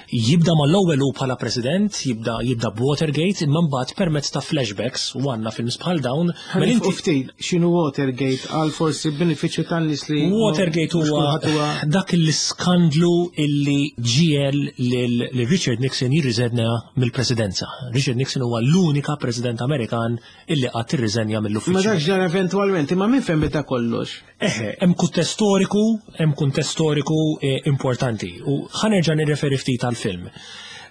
jibda mal-ewwel hu bħala president, jibda jibda b'Watergate, imma mbagħad permezz ta' flashbacks u għandna films bħal dawn. Mela inti ftit x'inhu Watergate għal forsi benefiċċju tan-nies li Watergate mhux huwa kulħadd huwa dak l-iskandlu illi ġiegħel lil lil Richard Nixon jirriżenja mill-presidenza. Richard Nixon huwa l-unika president Amerikan illi qatt irriżenja Ma mill-uffiċċju. Dak ġara eventwalment, imma minn fejn beda kollox? Eħe, hemm kuntest storiku, hemm kuntest storiku eh, importanti u ħa nerġa' nirreferi ftit għal-film.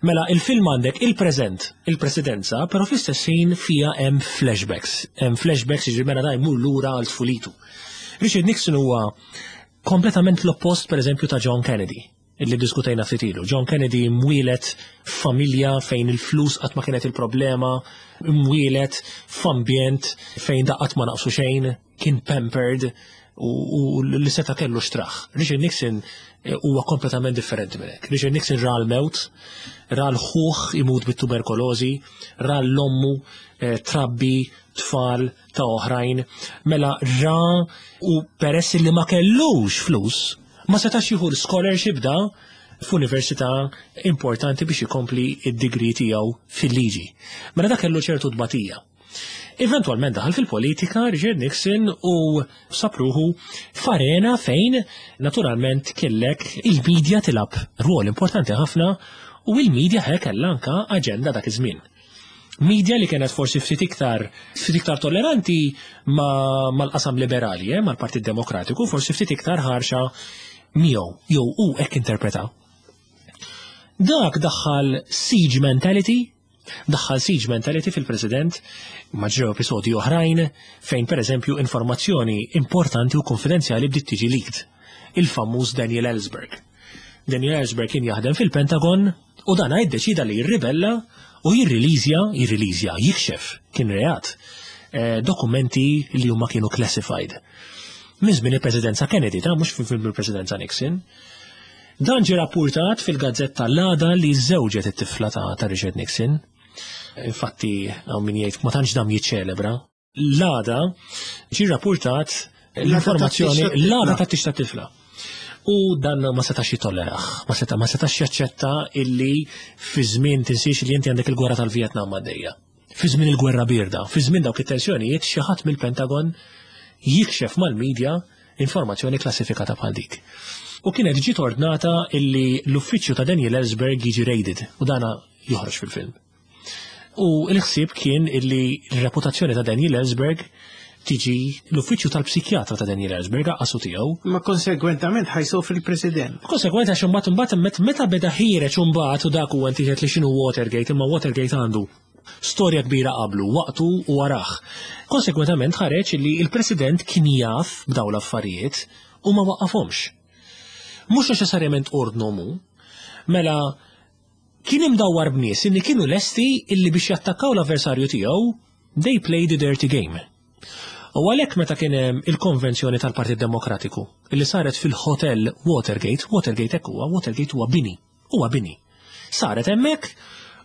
Mela, il-film għandek il-preżent, il-presidenza, però fl-istess ħin fija hemm flashbacks. Hemm flashbacks, jiġri mela da jmur lura għal tfulitu. Richard Nixon huwa kompletament l-oppost, per eżempju, ta' John Kennedy illi diskutejna ftit ilu. John Kennedy mwieled f'familja fejn il-flus qatt ma kienet il-problema, mwieled f'ambjent fejn da qatt ma naqsu xejn, kien pampered u, u li seta kellu xtraħ. Richard Nixon eh, huwa kompletament differenti minn hekk. Richard Nixon ra l-mewt, ra l-ħuħ imut bit-tuberkulożi, ra l-ommu eh, trabbi tfal ta' oħrajn, mela ra u peress li ma kellux flus, ma setax jieħu scholarship da f'università importanti biex ikompli id-degree tiegħu fil-liġi. Mela da kellu ċertu tbatija. Eventualment daħal fil-politika Richard Nixon u sab ruħu f'arena fejn naturalment kellek il-medja tilgħab rwol importanti ħafna u il-medja ħe kellha anka aġenda dak iż-żmien. Media li kienet forsi ftit iktar ftit iktar tolleranti ma mal-qasam liberali, eh, mal-Partit Demokratiku, forsi ftit iktar ħarxa miegħu, jew u hekk interpreta. Dak daħħal siege mentality, daħħal siege mentality fil-President, ma ġrew episodji oħrajn fejn per eżempju informazzjoni importanti u konfidenzjali bdiet tiġi leaked. Il-famuż Daniel Ellsberg. Daniel Ellsberg kien jaħdem fil-Pentagon u dan iddeċida li jirribella u jirrilizja, jirrilizja, jikxef, kien reat, eh, dokumenti li huma kienu classified. Minn żmien il-presidenza Kennedy, ta' mhux fil-presidenza Nixon. Dan ġie rapportat fil-gazzetta l-għada li żewġet it-tifla ta', ta' Richard Nixon. Infatti, hawn min jgħid ma tantx dam jiċċelebra. L-għada ġie rapportat l-informazzjoni l-għada ta' tix ta' tifla. U dan ma setax jitollerah, ma seta ma setax jaċċetta illi fi żmien, tinsiex li inti għandek il-gwerra tal-Vietnam għaddejja. Fi żmien il-gwerra birda, fi żmien dawk it-tensjonijiet, xi ħadd mill-Pentagon jikxef mal-medja informazzjoni klassifikata bħal dik. U kienet ġiet ordnata illi l-uffiċċju ta' Daniel Ellsberg jiġi raided u dana joħroġ fil-film. U l-ħsieb kien illi l-reputazzjoni ta' Daniel Ellsberg tiġi l-uffiċċju tal-psikjatra ta' Daniel Ellsberg għasu tiegħu. Ma konsegwentament ħa jsofri l-President. Konsegwent għax imbagħad imbagħad met- meta beda ħiereġ imbagħad u dak huwa inti li x'inhu Watergate, imma Watergate għandu storja kbira qablu, waqtu u warah. Konsegwentament ħareġ li il-President kien jaf b'daw l-affarijiet u ma waqqafhomx. Mhux neċessarjament ordnomu, mela kien imdawwar b'nies illi kienu lesti illi biex jattakkaw l-avversarju tiegħu, they played the dirty game. U għalhekk meta kien hemm il-konvenzjoni tal-Partit Demokratiku illi saret fil-Hotel Watergate, Watergate hekk huwa, Watergate huwa bini, huwa bini. Saret hemmhekk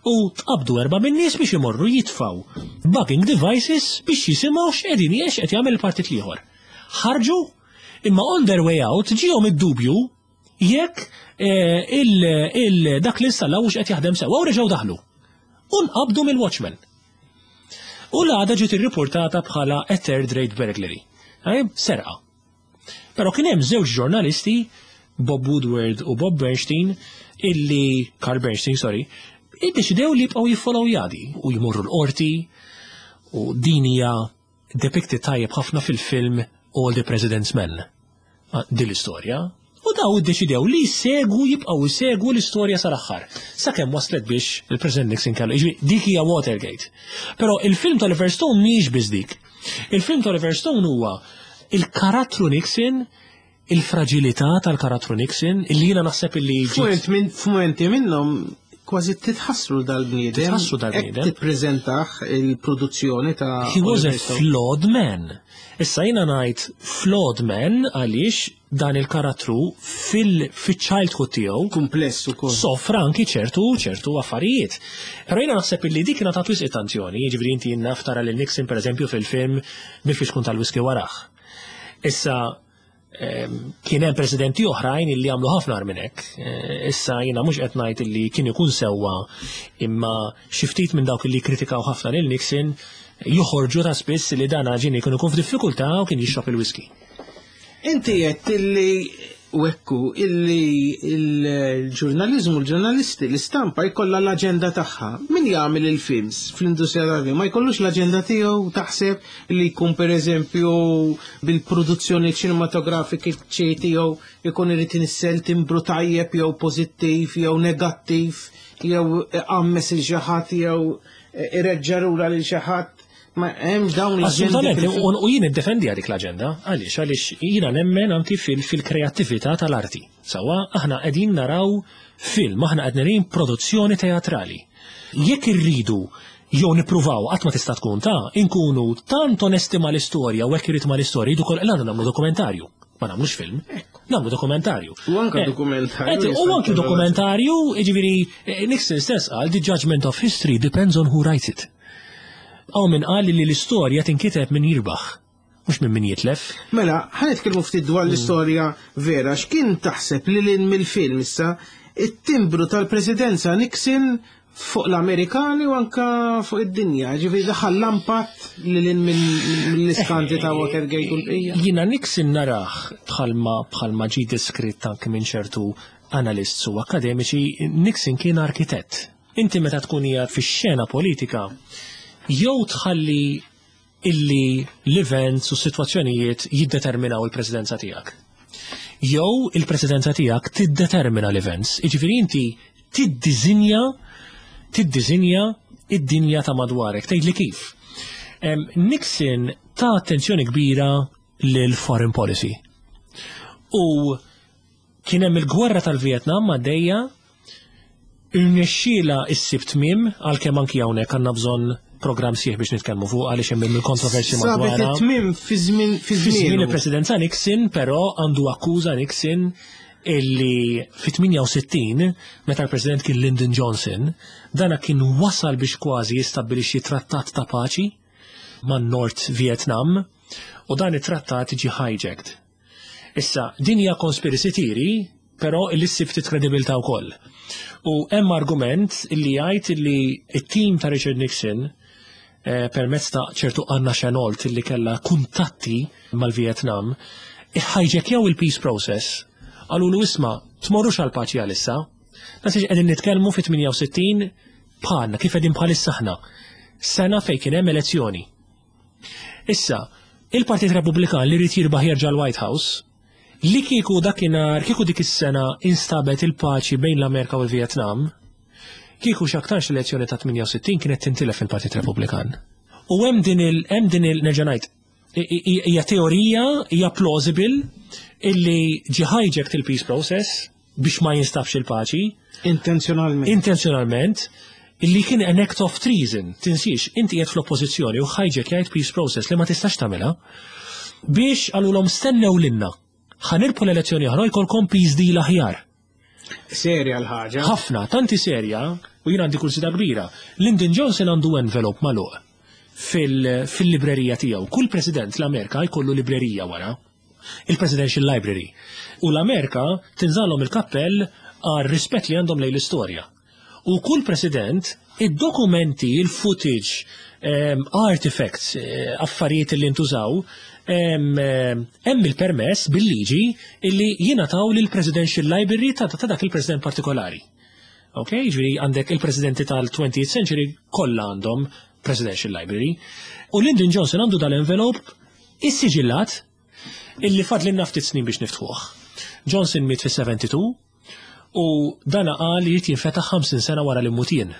u tqabdu erba' min-nies biex imorru jitfaw bugging devices biex jisimgħu x'qegħdin jiex qed jagħmel il-partit l-ieħor. Ħarġu, imma on their way out ġihom id-dubju jekk eh, il, il, dak li installaw qed jaħdem sewwa u reġgħu daħlu. U nqabdu mill-watchman. U l-għada ġiet irriportata bħala a third rate burglary. Għajb, serqa. Però kien hemm żewġ ġurnalisti, Bob Woodward u Bob Bernstein, illi, Carl Bernstein, sorry, iddeċidew li jibqgħu jiffollow jadi u jmorru l-qorti, u din hija depicted tajjeb ħafna fil-film All the President's Men. Ah, din l-istorja. U daw iddeċidew li jsegwu, jibqgħu jsegwu l-istorja sal-aħħar. Sakemm waslet biex il-President Nixon kellu. Jiġifieri dik hija Watergate. Però il-film ta' Oliver Stone mhijiex biss dik. Il-film ta' Oliver Stone huwa il-karattru Nixon, il-fragilità tal-karattru Nixon, illi jiena naħseb illi ġiet- F'mument minn- F'mumenti minnhom kważi titħassru dal-bniedem. Titħassru dal-bniedem. Hekk tippreżentah il-produzzjoni ta' He was a Oliver Stone. flawed man. Issa jiena ngħid flawed man għaliex dan il-karattru fil-childhood tiegħu kumpless ukoll. Soffra anki ċertu ċertu affarijiet. Però jiena naħseb illi dik ngħatat wisq attenzjoni, jiġifieri inti naf tara lil Nixon pereżempju fil-film bil-fixkun tal-whisky warah. Issa em, kien hemm presidenti oħrajn illi għamlu ħafna agħar minn hekk. Eh, Issa jiena mhux qed ngħid illi kien ikun sewwa, imma xi ftit minn dawk illi kritikaw ħafna lil Nixon joħorġu ta' spiss li dan ġieli kien ikun f'diffikultà u kien jixrob il-whisky. Inti qed illi u ekku illi il-ġurnalizmu, l-ġurnalisti, l-istampa jkollha l-aġenda tagħha. Min jagħmel il-films fl-industrija tal-film ma jkollux l-aġenda tiegħu, taħseb li jkun pereżempju bil-produzzjoni ċinematografiki tiegħu jkun irid inissel timbru tajjeb jew pożittiv jew negattiv jew qammes il xi ħadd jew ireġġa' lura lil xi ħadd. Ma hemmx dawn l-aġendi Assolutament, fil-film. u u jien iddefendi dik l-aġenda, għaliex għaliex jiena nemmen anki fil- fil-kreattività tal-arti. Sawa, aħna qegħdin naraw film, aħna qed naraw produzzjoni teatrali. Jekk irridu jew nippruvaw, qatt ma tista' tkun ta' inkunu tant onesti mal-istorja u hekk irid mal-istorja, jridu kol għandna nagħmlu dokumentarju. Ma nagħmlux film, nagħmlu dokumentarju. U anke Eh, dokumentarju. Et, u anki dokumentarju, jiġifieri, eh, Nixon stess qal, "The judgment of history depends on who writes it." Hawn min qal li l-istorja tinkiteb min jirbaħ, mhux minn min jitlef. Mela, ħa nitkellmu ftit dwar l-istorja vera, x'kien taħseb li lil mill-film issa it-timbru tal-presidenza Nixon fuq l-Amerikani u anka fuq id-dinja, ġifieri daħal l-impatt li lil mill-iskandli ta' Watergate u l-bqija. Jiena Nixon narah bħalma bħalma ġi deskritt anke minn ċertu analists u akademiċi, Nixon kien arkitett. Inti meta tkun hija fix-xena politika, jew tħalli illi l-events u s-sitwazzjonijiet jiddeterminaw il-presidenza tiegħek. Jew il-presidenza tiegħek tiddetermina l-events. Jiġifieri inti tiddiżinja tiddiżinja id-dinja ta' madwarek. Tgħidli kif. Em, Nixon ta attenzjoni kbira lil foreign policy. U kien hemm il-gwerra tal-Vietnam għaddejja, irnexxiela issib tmiem, għalkemm anki hawnhekk għandna bżonn programm sħiħ biex nitkellmu fuq għaliex hemm il-kontroversji Sabet madwarha. it-tmiem fi żmien fi Fi żmien żmien. il-presidenza Nixon, però għandu akkuża Nixon illi fi tmienja u sittin, meta l-president kien Lyndon Johnson, dana kien wasal biex kważi jistabbilixxi trattat ta' paċi man North Vietnam u dan it-trattat ġi hijacked. Issa, din hija conspiracy theory, però illi ssib ftit kredibilità wkoll. U hemm argument illi jgħid illi it-team ta' Richard Nixon eh, permezz ta' ċertu Anna Chennault illi kella kuntatti mal-Vietnam, hijackjaw il-peace process. Qalulu, "Isma', tmorrux għal paċi għalissa." Nasiex qegħdin nitkellmu fi tmienja u sittin bħalna kif qegħdin bħalissa aħna. Sena fejn kien hemm elezzjoni. Issa, il-Partit Repubblikan li rrid jirbaħ jerġa' l-White House, li kieku dakinhar, kieku dik is-sena instabet il-paċi bejn l-Amerika u l-Vietnam, kieku x'aktarx l-elezzjoni ta' tmienja u sittin kienet tintilef il-Partit Repubblikan. U hemm din il hemm din il nerġa' ngħid, i- i- hija teorija, hija plausible illi ġi hijacked il-peace process biex ma jinstabx il-paċi. Intenzjonalment. Intenzjonalment, illi kien an act of treason. Tinsiex, inti qiegħed fl-oppożizzjoni u hijack peace process li ma tistax tagħmilha biex qalulhom, "Stennew lilna. Ħa nirbħu l-elezzjoni aħna, jkollkom peace deal aħjar." Serja l-ħaġa. Ħafna, tanti serja, u jien għandi kurżità kbira. Lyndon Johnson għandu envelope magħluq fil- fil-librerija tiegħu. Kull president l-Amerika jkollu librerija wara. Il-Presidential Library. U l-Amerika tinżagħlhom il-kappell għal rispett li għandhom lejn l-istorja. U kull president, id-dokumenti, il-footage, um, artifacts, eh, affarijiet li ntużaw, em, eh, hemm il-permess bil-liġi illi jingħataw lil Presidential Library ta' ta' dak il-president partikolari. Ok, ġifieri għandek il-presidenti tal-twentieth century kollha għandhom Presidential Library. U Lyndon Johnson għandu dal-envelope issiġillat illi fadlilna ftit snin biex niftħuh. Johnson miet fis-sebgħa u sebgħin u dana qal li jrid jinfetaħ ħamsin sena wara li mmut jien.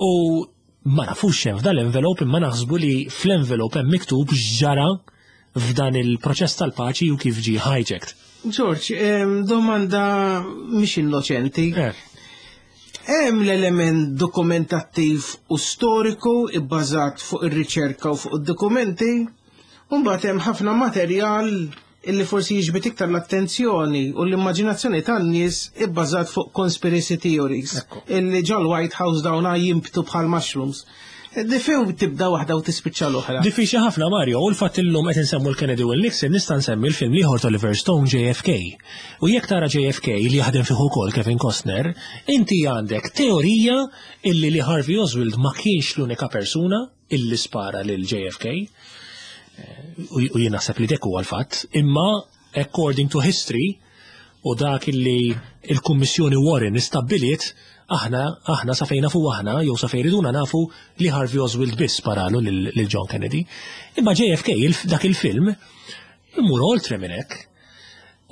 U ma nafux x'hemm f'dal-envelope, imma naħsbu li fl-envelope hemm miktub x'ġara f'dan il-proċess tal-paċi u kif ġie hijacked. George, domanda mhix innoċenti. Eh. Hemm l-element dokumentattiv u storiku ibbażat fuq ir-riċerka u fuq id-dokumenti, u mbagħad hemm ħafna materjal illi forsi jiġbed iktar l-attenzjoni u l-immaġinazzjoni tan-nies ibbażat fuq conspiracy theories illi ġol White House dawna jimbtu bħal mushrooms. Difew tibda waħda u tispiċċa l-oħra. Diffiċli ħafna, Mario, u l-fatt illum qed insemmu l-Kennedy u l-Nixon, nista' nsemmi l-film l-ieħor ta' Oliver Stone, J F K. U jekk tara J F K li jaħdem fih ukoll Kevin Costner, inti għandek teorija illi li Harvey Oswald ma kienx l-unika persuna illi spara lil J F K. Eh, U u jien naħseb li dak huwa l-fatt, imma according to history u dak illi il-Kummissjoni Warren istabbiliet, aħna aħna sa fejn nafu aħna jew sa fejn riduna nafu li Harvey Oswald biss sparalu lil lil John Kennedy. Imma J F K il- dak il-film imur oltre minn hekk.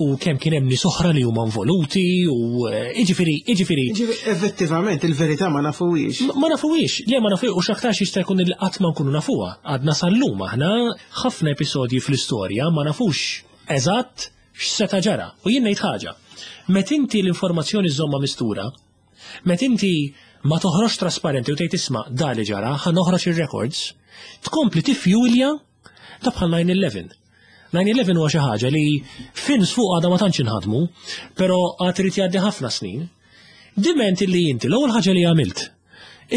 U kemm kien hemm nies oħra li huma involuti u eh, jiġifieri jiġifieri Ġifieri, effettivament il-verità ma nafuwiex. Ma ma nafuwiex, le ma nafuwiex, u x'aktarx jista' jkun il qatt ma nkunu nafuha. Għadna sal-lum aħna ħafna episodji fl-istorja ma nafux eżatt x'seta' ġara. U jien ngħid ħaġa. Met inti l-informazzjoni żomma mistura, met inti ma toħroġ trasparenti u tgħid, "Isma', da li ġara, ħa noħroġ ir-records", tkompli tifjulja ta' bħal nine eleven. nine eleven huwa xi ħaġa li films fuq għadha ma tantx inħadmu, però għad irid jgħaddi ħafna snin. Diment illi inti l-ewwel ħaġa li għamilt,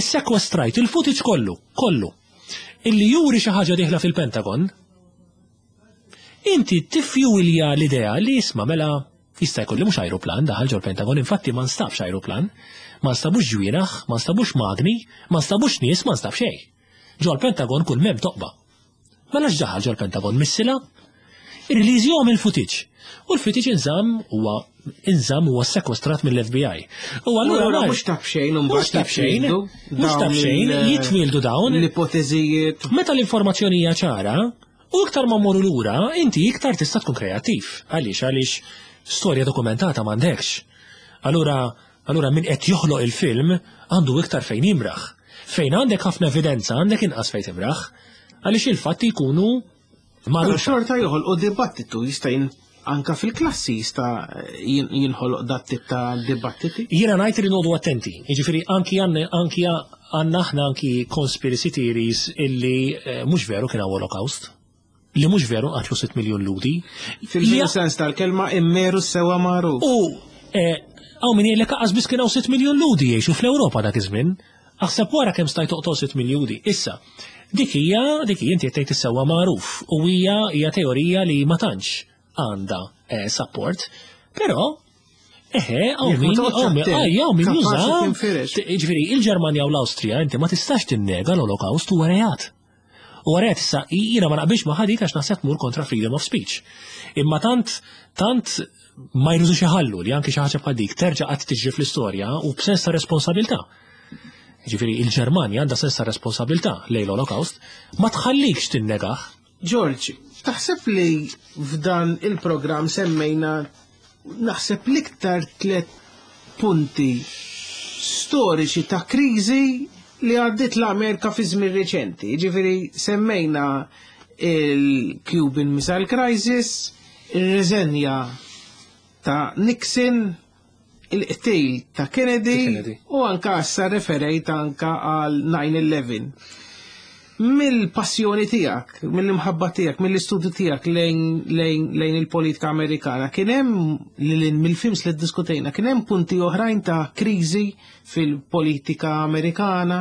issekwestrajt il-footage kollu, kollu, illi juri xi ħaġa dieħla fil-Pentagon, inti tifjuwilja l-idea li, isma', mela jista' jkun li mhux ajruplan daħal ġol Pentagon, infatti ma nstabx ajruplan, ma nstabux ġwienaħ, ma nstabux magni, ma nstabux nies, ma nstab xejn. Ġol Pentagon kull m'hemm toqba. Mela x'daħal ġol Pentagon, missila? Irreleasjahom il-footage. U l-footage inżamm, huwa inżamm, huwa sekwestrat mill-F B I. U allura Allura mar- mhux taf xejn Mhux mbagħad taf xejn, jitwieldu mhux taf dawn xejn, il- jitwieldu dawn. L-ipoteżijiet. Meta l-informazzjoni hija ċara, u iktar ma mmorru lura, inti iktar tista' tkun kreattiv. Għaliex, għaliex storja dokumentata m'għandekx. Allura, allura min qed joħloq il-film għandu iktar fejn jimraħ. Fejn għandek ħafna evidenza għandek inqas fejn timraħ. Għaliex il-fatti jkunu Però magħrufa. xorta joħolqu dibattitu, jista' jin anka fil-klassi jista' jin- jinħoloq dat tip ta' dibattiti. Jiena ngħid li noqogħdu attenti. Jiġifieri anki għandna anki għandna aħna anki conspiracy theories illi eh, mhux veru kien hawn Holocaust. Li mhux veru qatlu sitt miljun Lhudi. Fil-veru sens tal-kelma immeru sewa magħruf. U eh, hawn min jgħidlek qas biss kien hawn sitt miljun Lhudi jgħixu fl-Ewropa dak iż-żmien. Aħseb wara kemm stajt toqtol sitt miljun Lhudi. Issa, dik hija dik hija inti qed tgħid is-sewwa magħruf u hija hija teorija li ma tantx għandha eh, support, però eħe, hawn Jekk ma min, toqgħodx hawn min, attent, aj, hawn min kapaċi juża. tinfirex. Ġifieri, il-Ġermanja u l-Awstrija, inti ma tistax tinnega l-Holocaust huwa reat. U reat issa, jiena ma naqbilx ma' ħadik għax naħseb tmur kontra freedom of speech. Imma tant, tant ma jridux iħallu li anki xi ħaġa bħal dik terġa' qatt tiġri fl-istorja u b'sens ta' responsabilità. Ġifieri, il-Ġermanja għandha sens ta' responsabilità lejn l-Holocaust, ma tħallikx tinnegah. George, taħseb li f'dan il-programm semmejna naħseb l-iktar tlet punti storiċi ta' kriżi li għaddit l-Amerika fi żmien reċenti? Ġifieri semmejna il-Cuban Missile Crisis, il-reżenja ta' Nixon, il-qtil ta' Kennedy, Kennedy. u anka issa referejt anka għal nine eleven. Mill-passjoni tiegħek, mill-imħabba tiegħek, mill-istudju tiegħek lejn, lejn, lejn il-politika Amerikana, kien hemm lil mill-films li ddiskutejna, kien hemm punti oħrajn ta' kriżi fil-politika Amerikana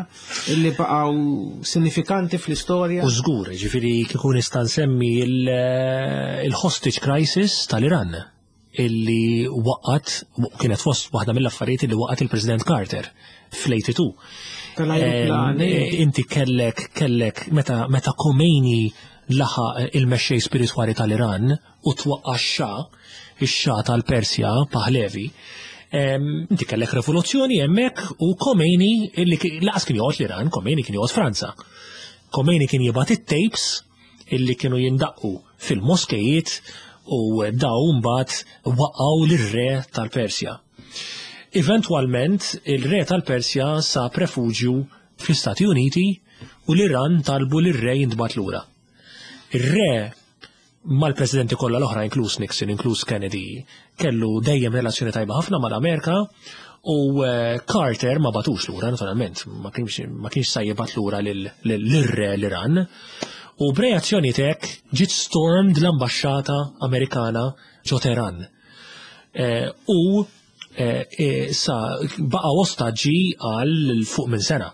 li baqgħu sinifikanti fl-istorja? U żgur, ġifieri kieku nista' nsemmi il- il-hostage crisis tal-Iran illi waqgħet, kienet fost waħda mill-affarijiet illi waqgħet il-President Carter fl-tmienja u sebgħin. Tal-ajruplani. Em, Inti kellek kellek meta meta Khomeini laħaq il-mexxej spiritwali tal-Iran u twaqqa x-Xah, ix-Xah tal-Persja Pahlavi. em, Inti kellek rivoluzzjoni hemmhekk u Khomeini illi ki- lanqas kien joqgħod l-Iran, Khomeini kien joqgħod Franza. Khomeini kien jibgħat it-tapes illi kienu jindaqqu fil-moskejiet U daw mbagħad waqgħu lir-re tal-Persja. Eventwalment il-re tal-Persja sab refuġju fl-Istati Uniti u l-Iran talbu lir-re jintbagħat lura. Ir-re mal-presidenti kollha l-oħra, inkluż Nixon, inkluż Kennedy, kellu dejjem relazzjoni tajba ħafna mal-Amerika u Carter ma batux lura, naturalment, ma kienx ma kienx sa jibgħat lura lir-re l-Iran. U b'reazzjoni tek ġiet stormed l-ambaxxata Amerikana ġo Teheran. U sa baqgħu ostaġġi għal fuq minn sena.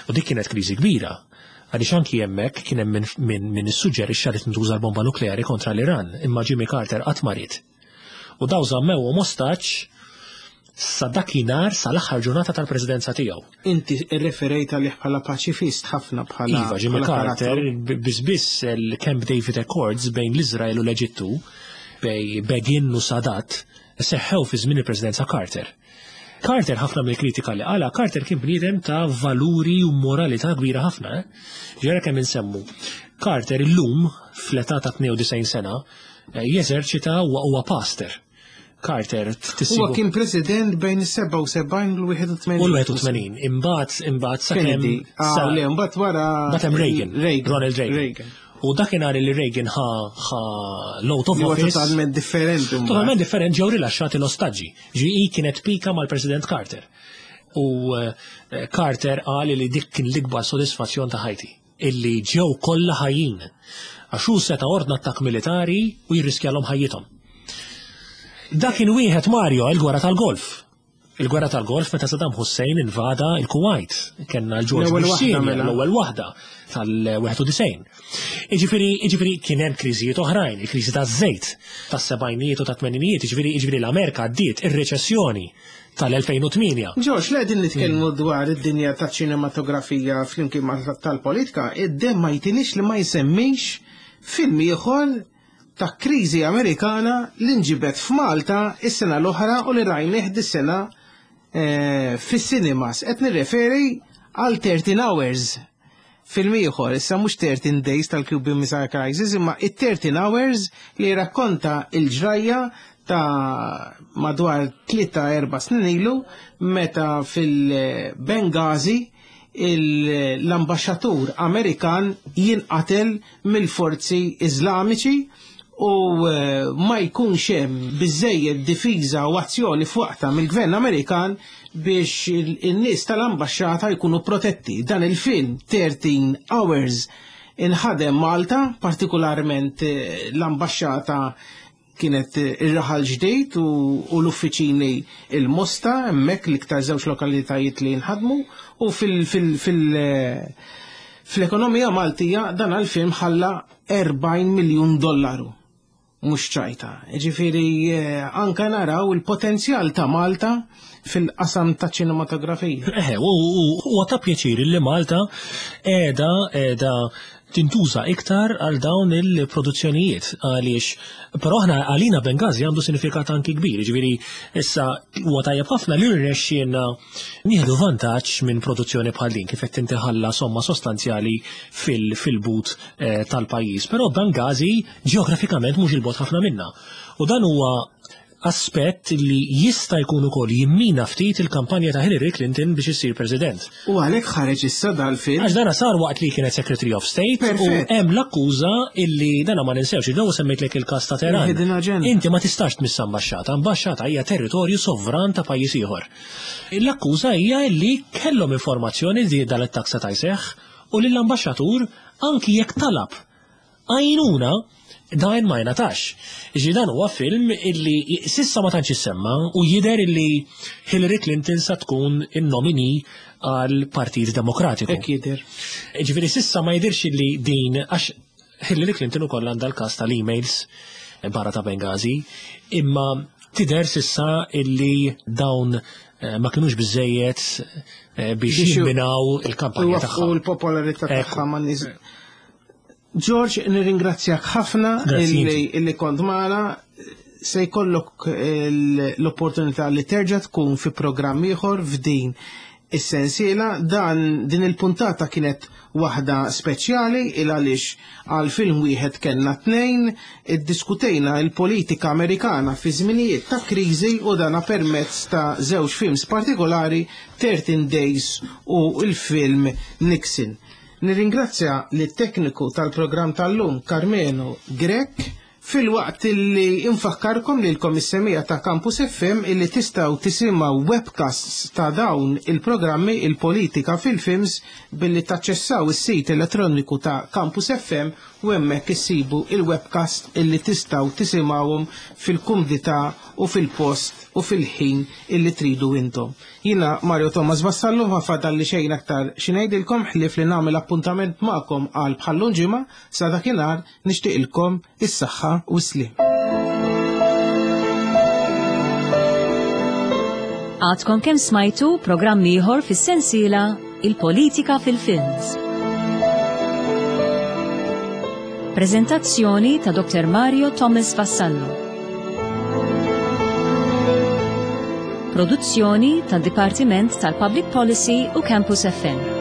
U dik kienet kriżi kbira. Għaliex anki hemmhekk kien hemm min min issuġġerixxa li tintuża l-bomba nukleari kontra l-Iran, imma Jimmy Carter qatt ma ried. U daw żammewhom ostaġġ sa dakinhar sal-aħħar ġurnata tal-presidenza tiegħu. Inti rreferejt għalih bħala paċifist ħafna bħala Iva, Jimmy Carter biss biss il-Camp David Accords bejn l-Iżrael u l-Eġittu, bejn Begin u Sadat, seħħew fi żmien il-presidenza Carter. Carter ħafna mill-kritika li qala, Carter kien bniedem ta' valuri u moralità kbira ħafna. Ġera kemm insemmu. Carter illum fl-età ta' tnejn u disgħin sena jeżerċita u huwa pastor. Carter tissibu. Huwa kien president bejn is-sebgħa u sebgħin u l-wieħed u tmenin. U l-wieħed u tmenin. Imbagħad imbagħad sakemm Ah, le, imbagħad wara Mbagħad hemm Reagan, Ronald Reagan. U dakinhar li Reagan ħa ħa l-out of office. Totalment differenti. Totalment differenti ġew rilaxxati l-ostaġġi. Ġi kienet pika mal-President Carter. U Carter qal li dik kien l-ikbar sodisfazzjon ta' ħajti, illi ġew kollha ħajjin. Għax hu seta' ordna attakk militari u jirriskjalhom ħajjithom. Dak kien wieħed Mario, il-gwerra tal-Golf. Il-gwerra tal-Golf meta Saddam Hussein invada il-Kuwait. Kenna l-George Bush Senior, l-ewwel waħda tal-wieħed u disgħin. Jiġifieri jiġifieri kien hemm kriżijiet oħrajn, il-kriżi taż-żejt tas-sebgħinijiet u tat-tmeninijiet, jiġifieri jiġifieri l-Amerika għaddiet ir-reċessjoni tal-elfejn u tmienja. Ġorġ, le qegħdin nitkellmu dwar id-dinja taċ-ċinematografija flimkien ma' tal-politika, id-demm ma jtinix li ma jsemmix film ieħor ta' kriżi Amerikana li nġibet f'Malta is-sena l-oħra u li rajnih dis-sena fis-cinemas. Qed nirreferi għal thirteen Hours. Film ieħor, issa mhux thirteen Days tal-Cuban Missile Crisis, imma it-thirteen Hours li rakkonta il-ġrajja ta' madwar tlieta erba' snin ilu meta fil-Benghazi l-ambaxxatur Amerikan jinqatel mill-forzi Iżlamiċi u ma jkunx hemm biżejjed difiża u azzjoni f'waqtha mill-gvern Amerikan biex in-nies tal-ambaxxata jkunu protetti. Dan il-film thirteen Hours inħadem Malta, partikolarment l-ambaxxata kienet ir-raħal ġdejt u l-uffiċini il-Mosta, hemmhekk l-iktar żewġ lokalitajiet li nħadmu, u fil fil fil fl-ekonomija Maltija dan għal-film ħalla erbgħin miljun dollaru. Mhux ċajta. Ġifieri anke naraw il-potenzjal ta' Malta fil-qasam ta' ċinematografija. Eħe, u ta' pjaċir li Malta qiegħda qiegħda tintuża iktar għal dawn il-produzzjonijiet, għaliex però aħna għalina Benghazi għandu sinifikat anki kbir, ġifieri issa huwa tajjeb ħafna li rnexxielna nieħdu vantaġġ minn produzzjoni bħal din kif qed tintiħalla somma sostanzjali fil-but tal-pajjiż. Però Benghazi ġeografikament mhux il-bot ħafna minna. U dan huwa aspett li jista' jkun ukoll jimmina ftit il-kampanja ta' Hillary Clinton biex issir president. U għalhekk ħareġ issa dal-film. Għax dana sar waqt li kienet Secretary of State u hemm l-akkuża illi dana ma ninsewx, id-daw semmejtlek il-każ ta' Teheran. Inti ma tistax tmiss ambaxxata, ambaxxata hija territorju sovran ta' pajjiż ieħor. L-akkuża hija li kellhom informazzjoni li dal-attakk seta' jseħħ u lill-ambaxxatur anki jekk talab għajnuna dan ma jingħatax. Ġi dan huwa film illi sissa ma tantx issemma u jidher illi Hillary Clinton sa tkun in-nomini għal Partit Demokratiku. Hekk jidher. Ġifieri sissa ma jidhirx illi din, għax Hillary Clinton ukoll għandha l-każ tal-emails barra ta' Benghazi, imma tidher sissa illi dawn ma kinux biżejjed biex jimminaw il-kampanja tagħha. U l-popolarità tagħha ma' nies. George, nirringrazzjak ħafna illi kont magħna. Se jkollok l-opportunità li terġa' tkun fi programm ieħor f'din is-sensiela. Dan din il-puntata kienet waħda speċjali il għaliex għal film wieħed kellna tnejn, iddiskutejna il-politika Amerikana fi żminijiet ta' kriżi u dana permezz ta' żewġ films partikolari, thirteen Days u il-film Nixon. Nirringrazzja lit-tekniku tal-programm tal-lum Carmelo Grech, filwaqt illi infakkarkom lilkom is-semija ta' Campus F M illi tistgħu tisimgħu webcasts ta' dawn il-programmi il-politika fil-films billi taċċessaw is-sit elettroniku ta' Campus F M u hemmhekk issibu il-webcast illi tistgħu tisimgħuhom fil-kumdità u fil-post u fil-ħin illi tridu intom. Jiena Mario Thomas Vassallo, ma fadalli xejn aktar xi ngħidilkom ħlief li nagħmel appuntament magħkom għal bħallum ġimgħa. Sa dakinhar nixtieqilkom is-saħħa u s-sliem. Għadkom kemm smajtu programm ieħor fis-sensiela Il-Politika fil-Films. Prezentazzjoni ta' Doktor Mario Thomas Vassallo. Produzzjoni tad Dipartiment tal-Public Policy u Campus F M.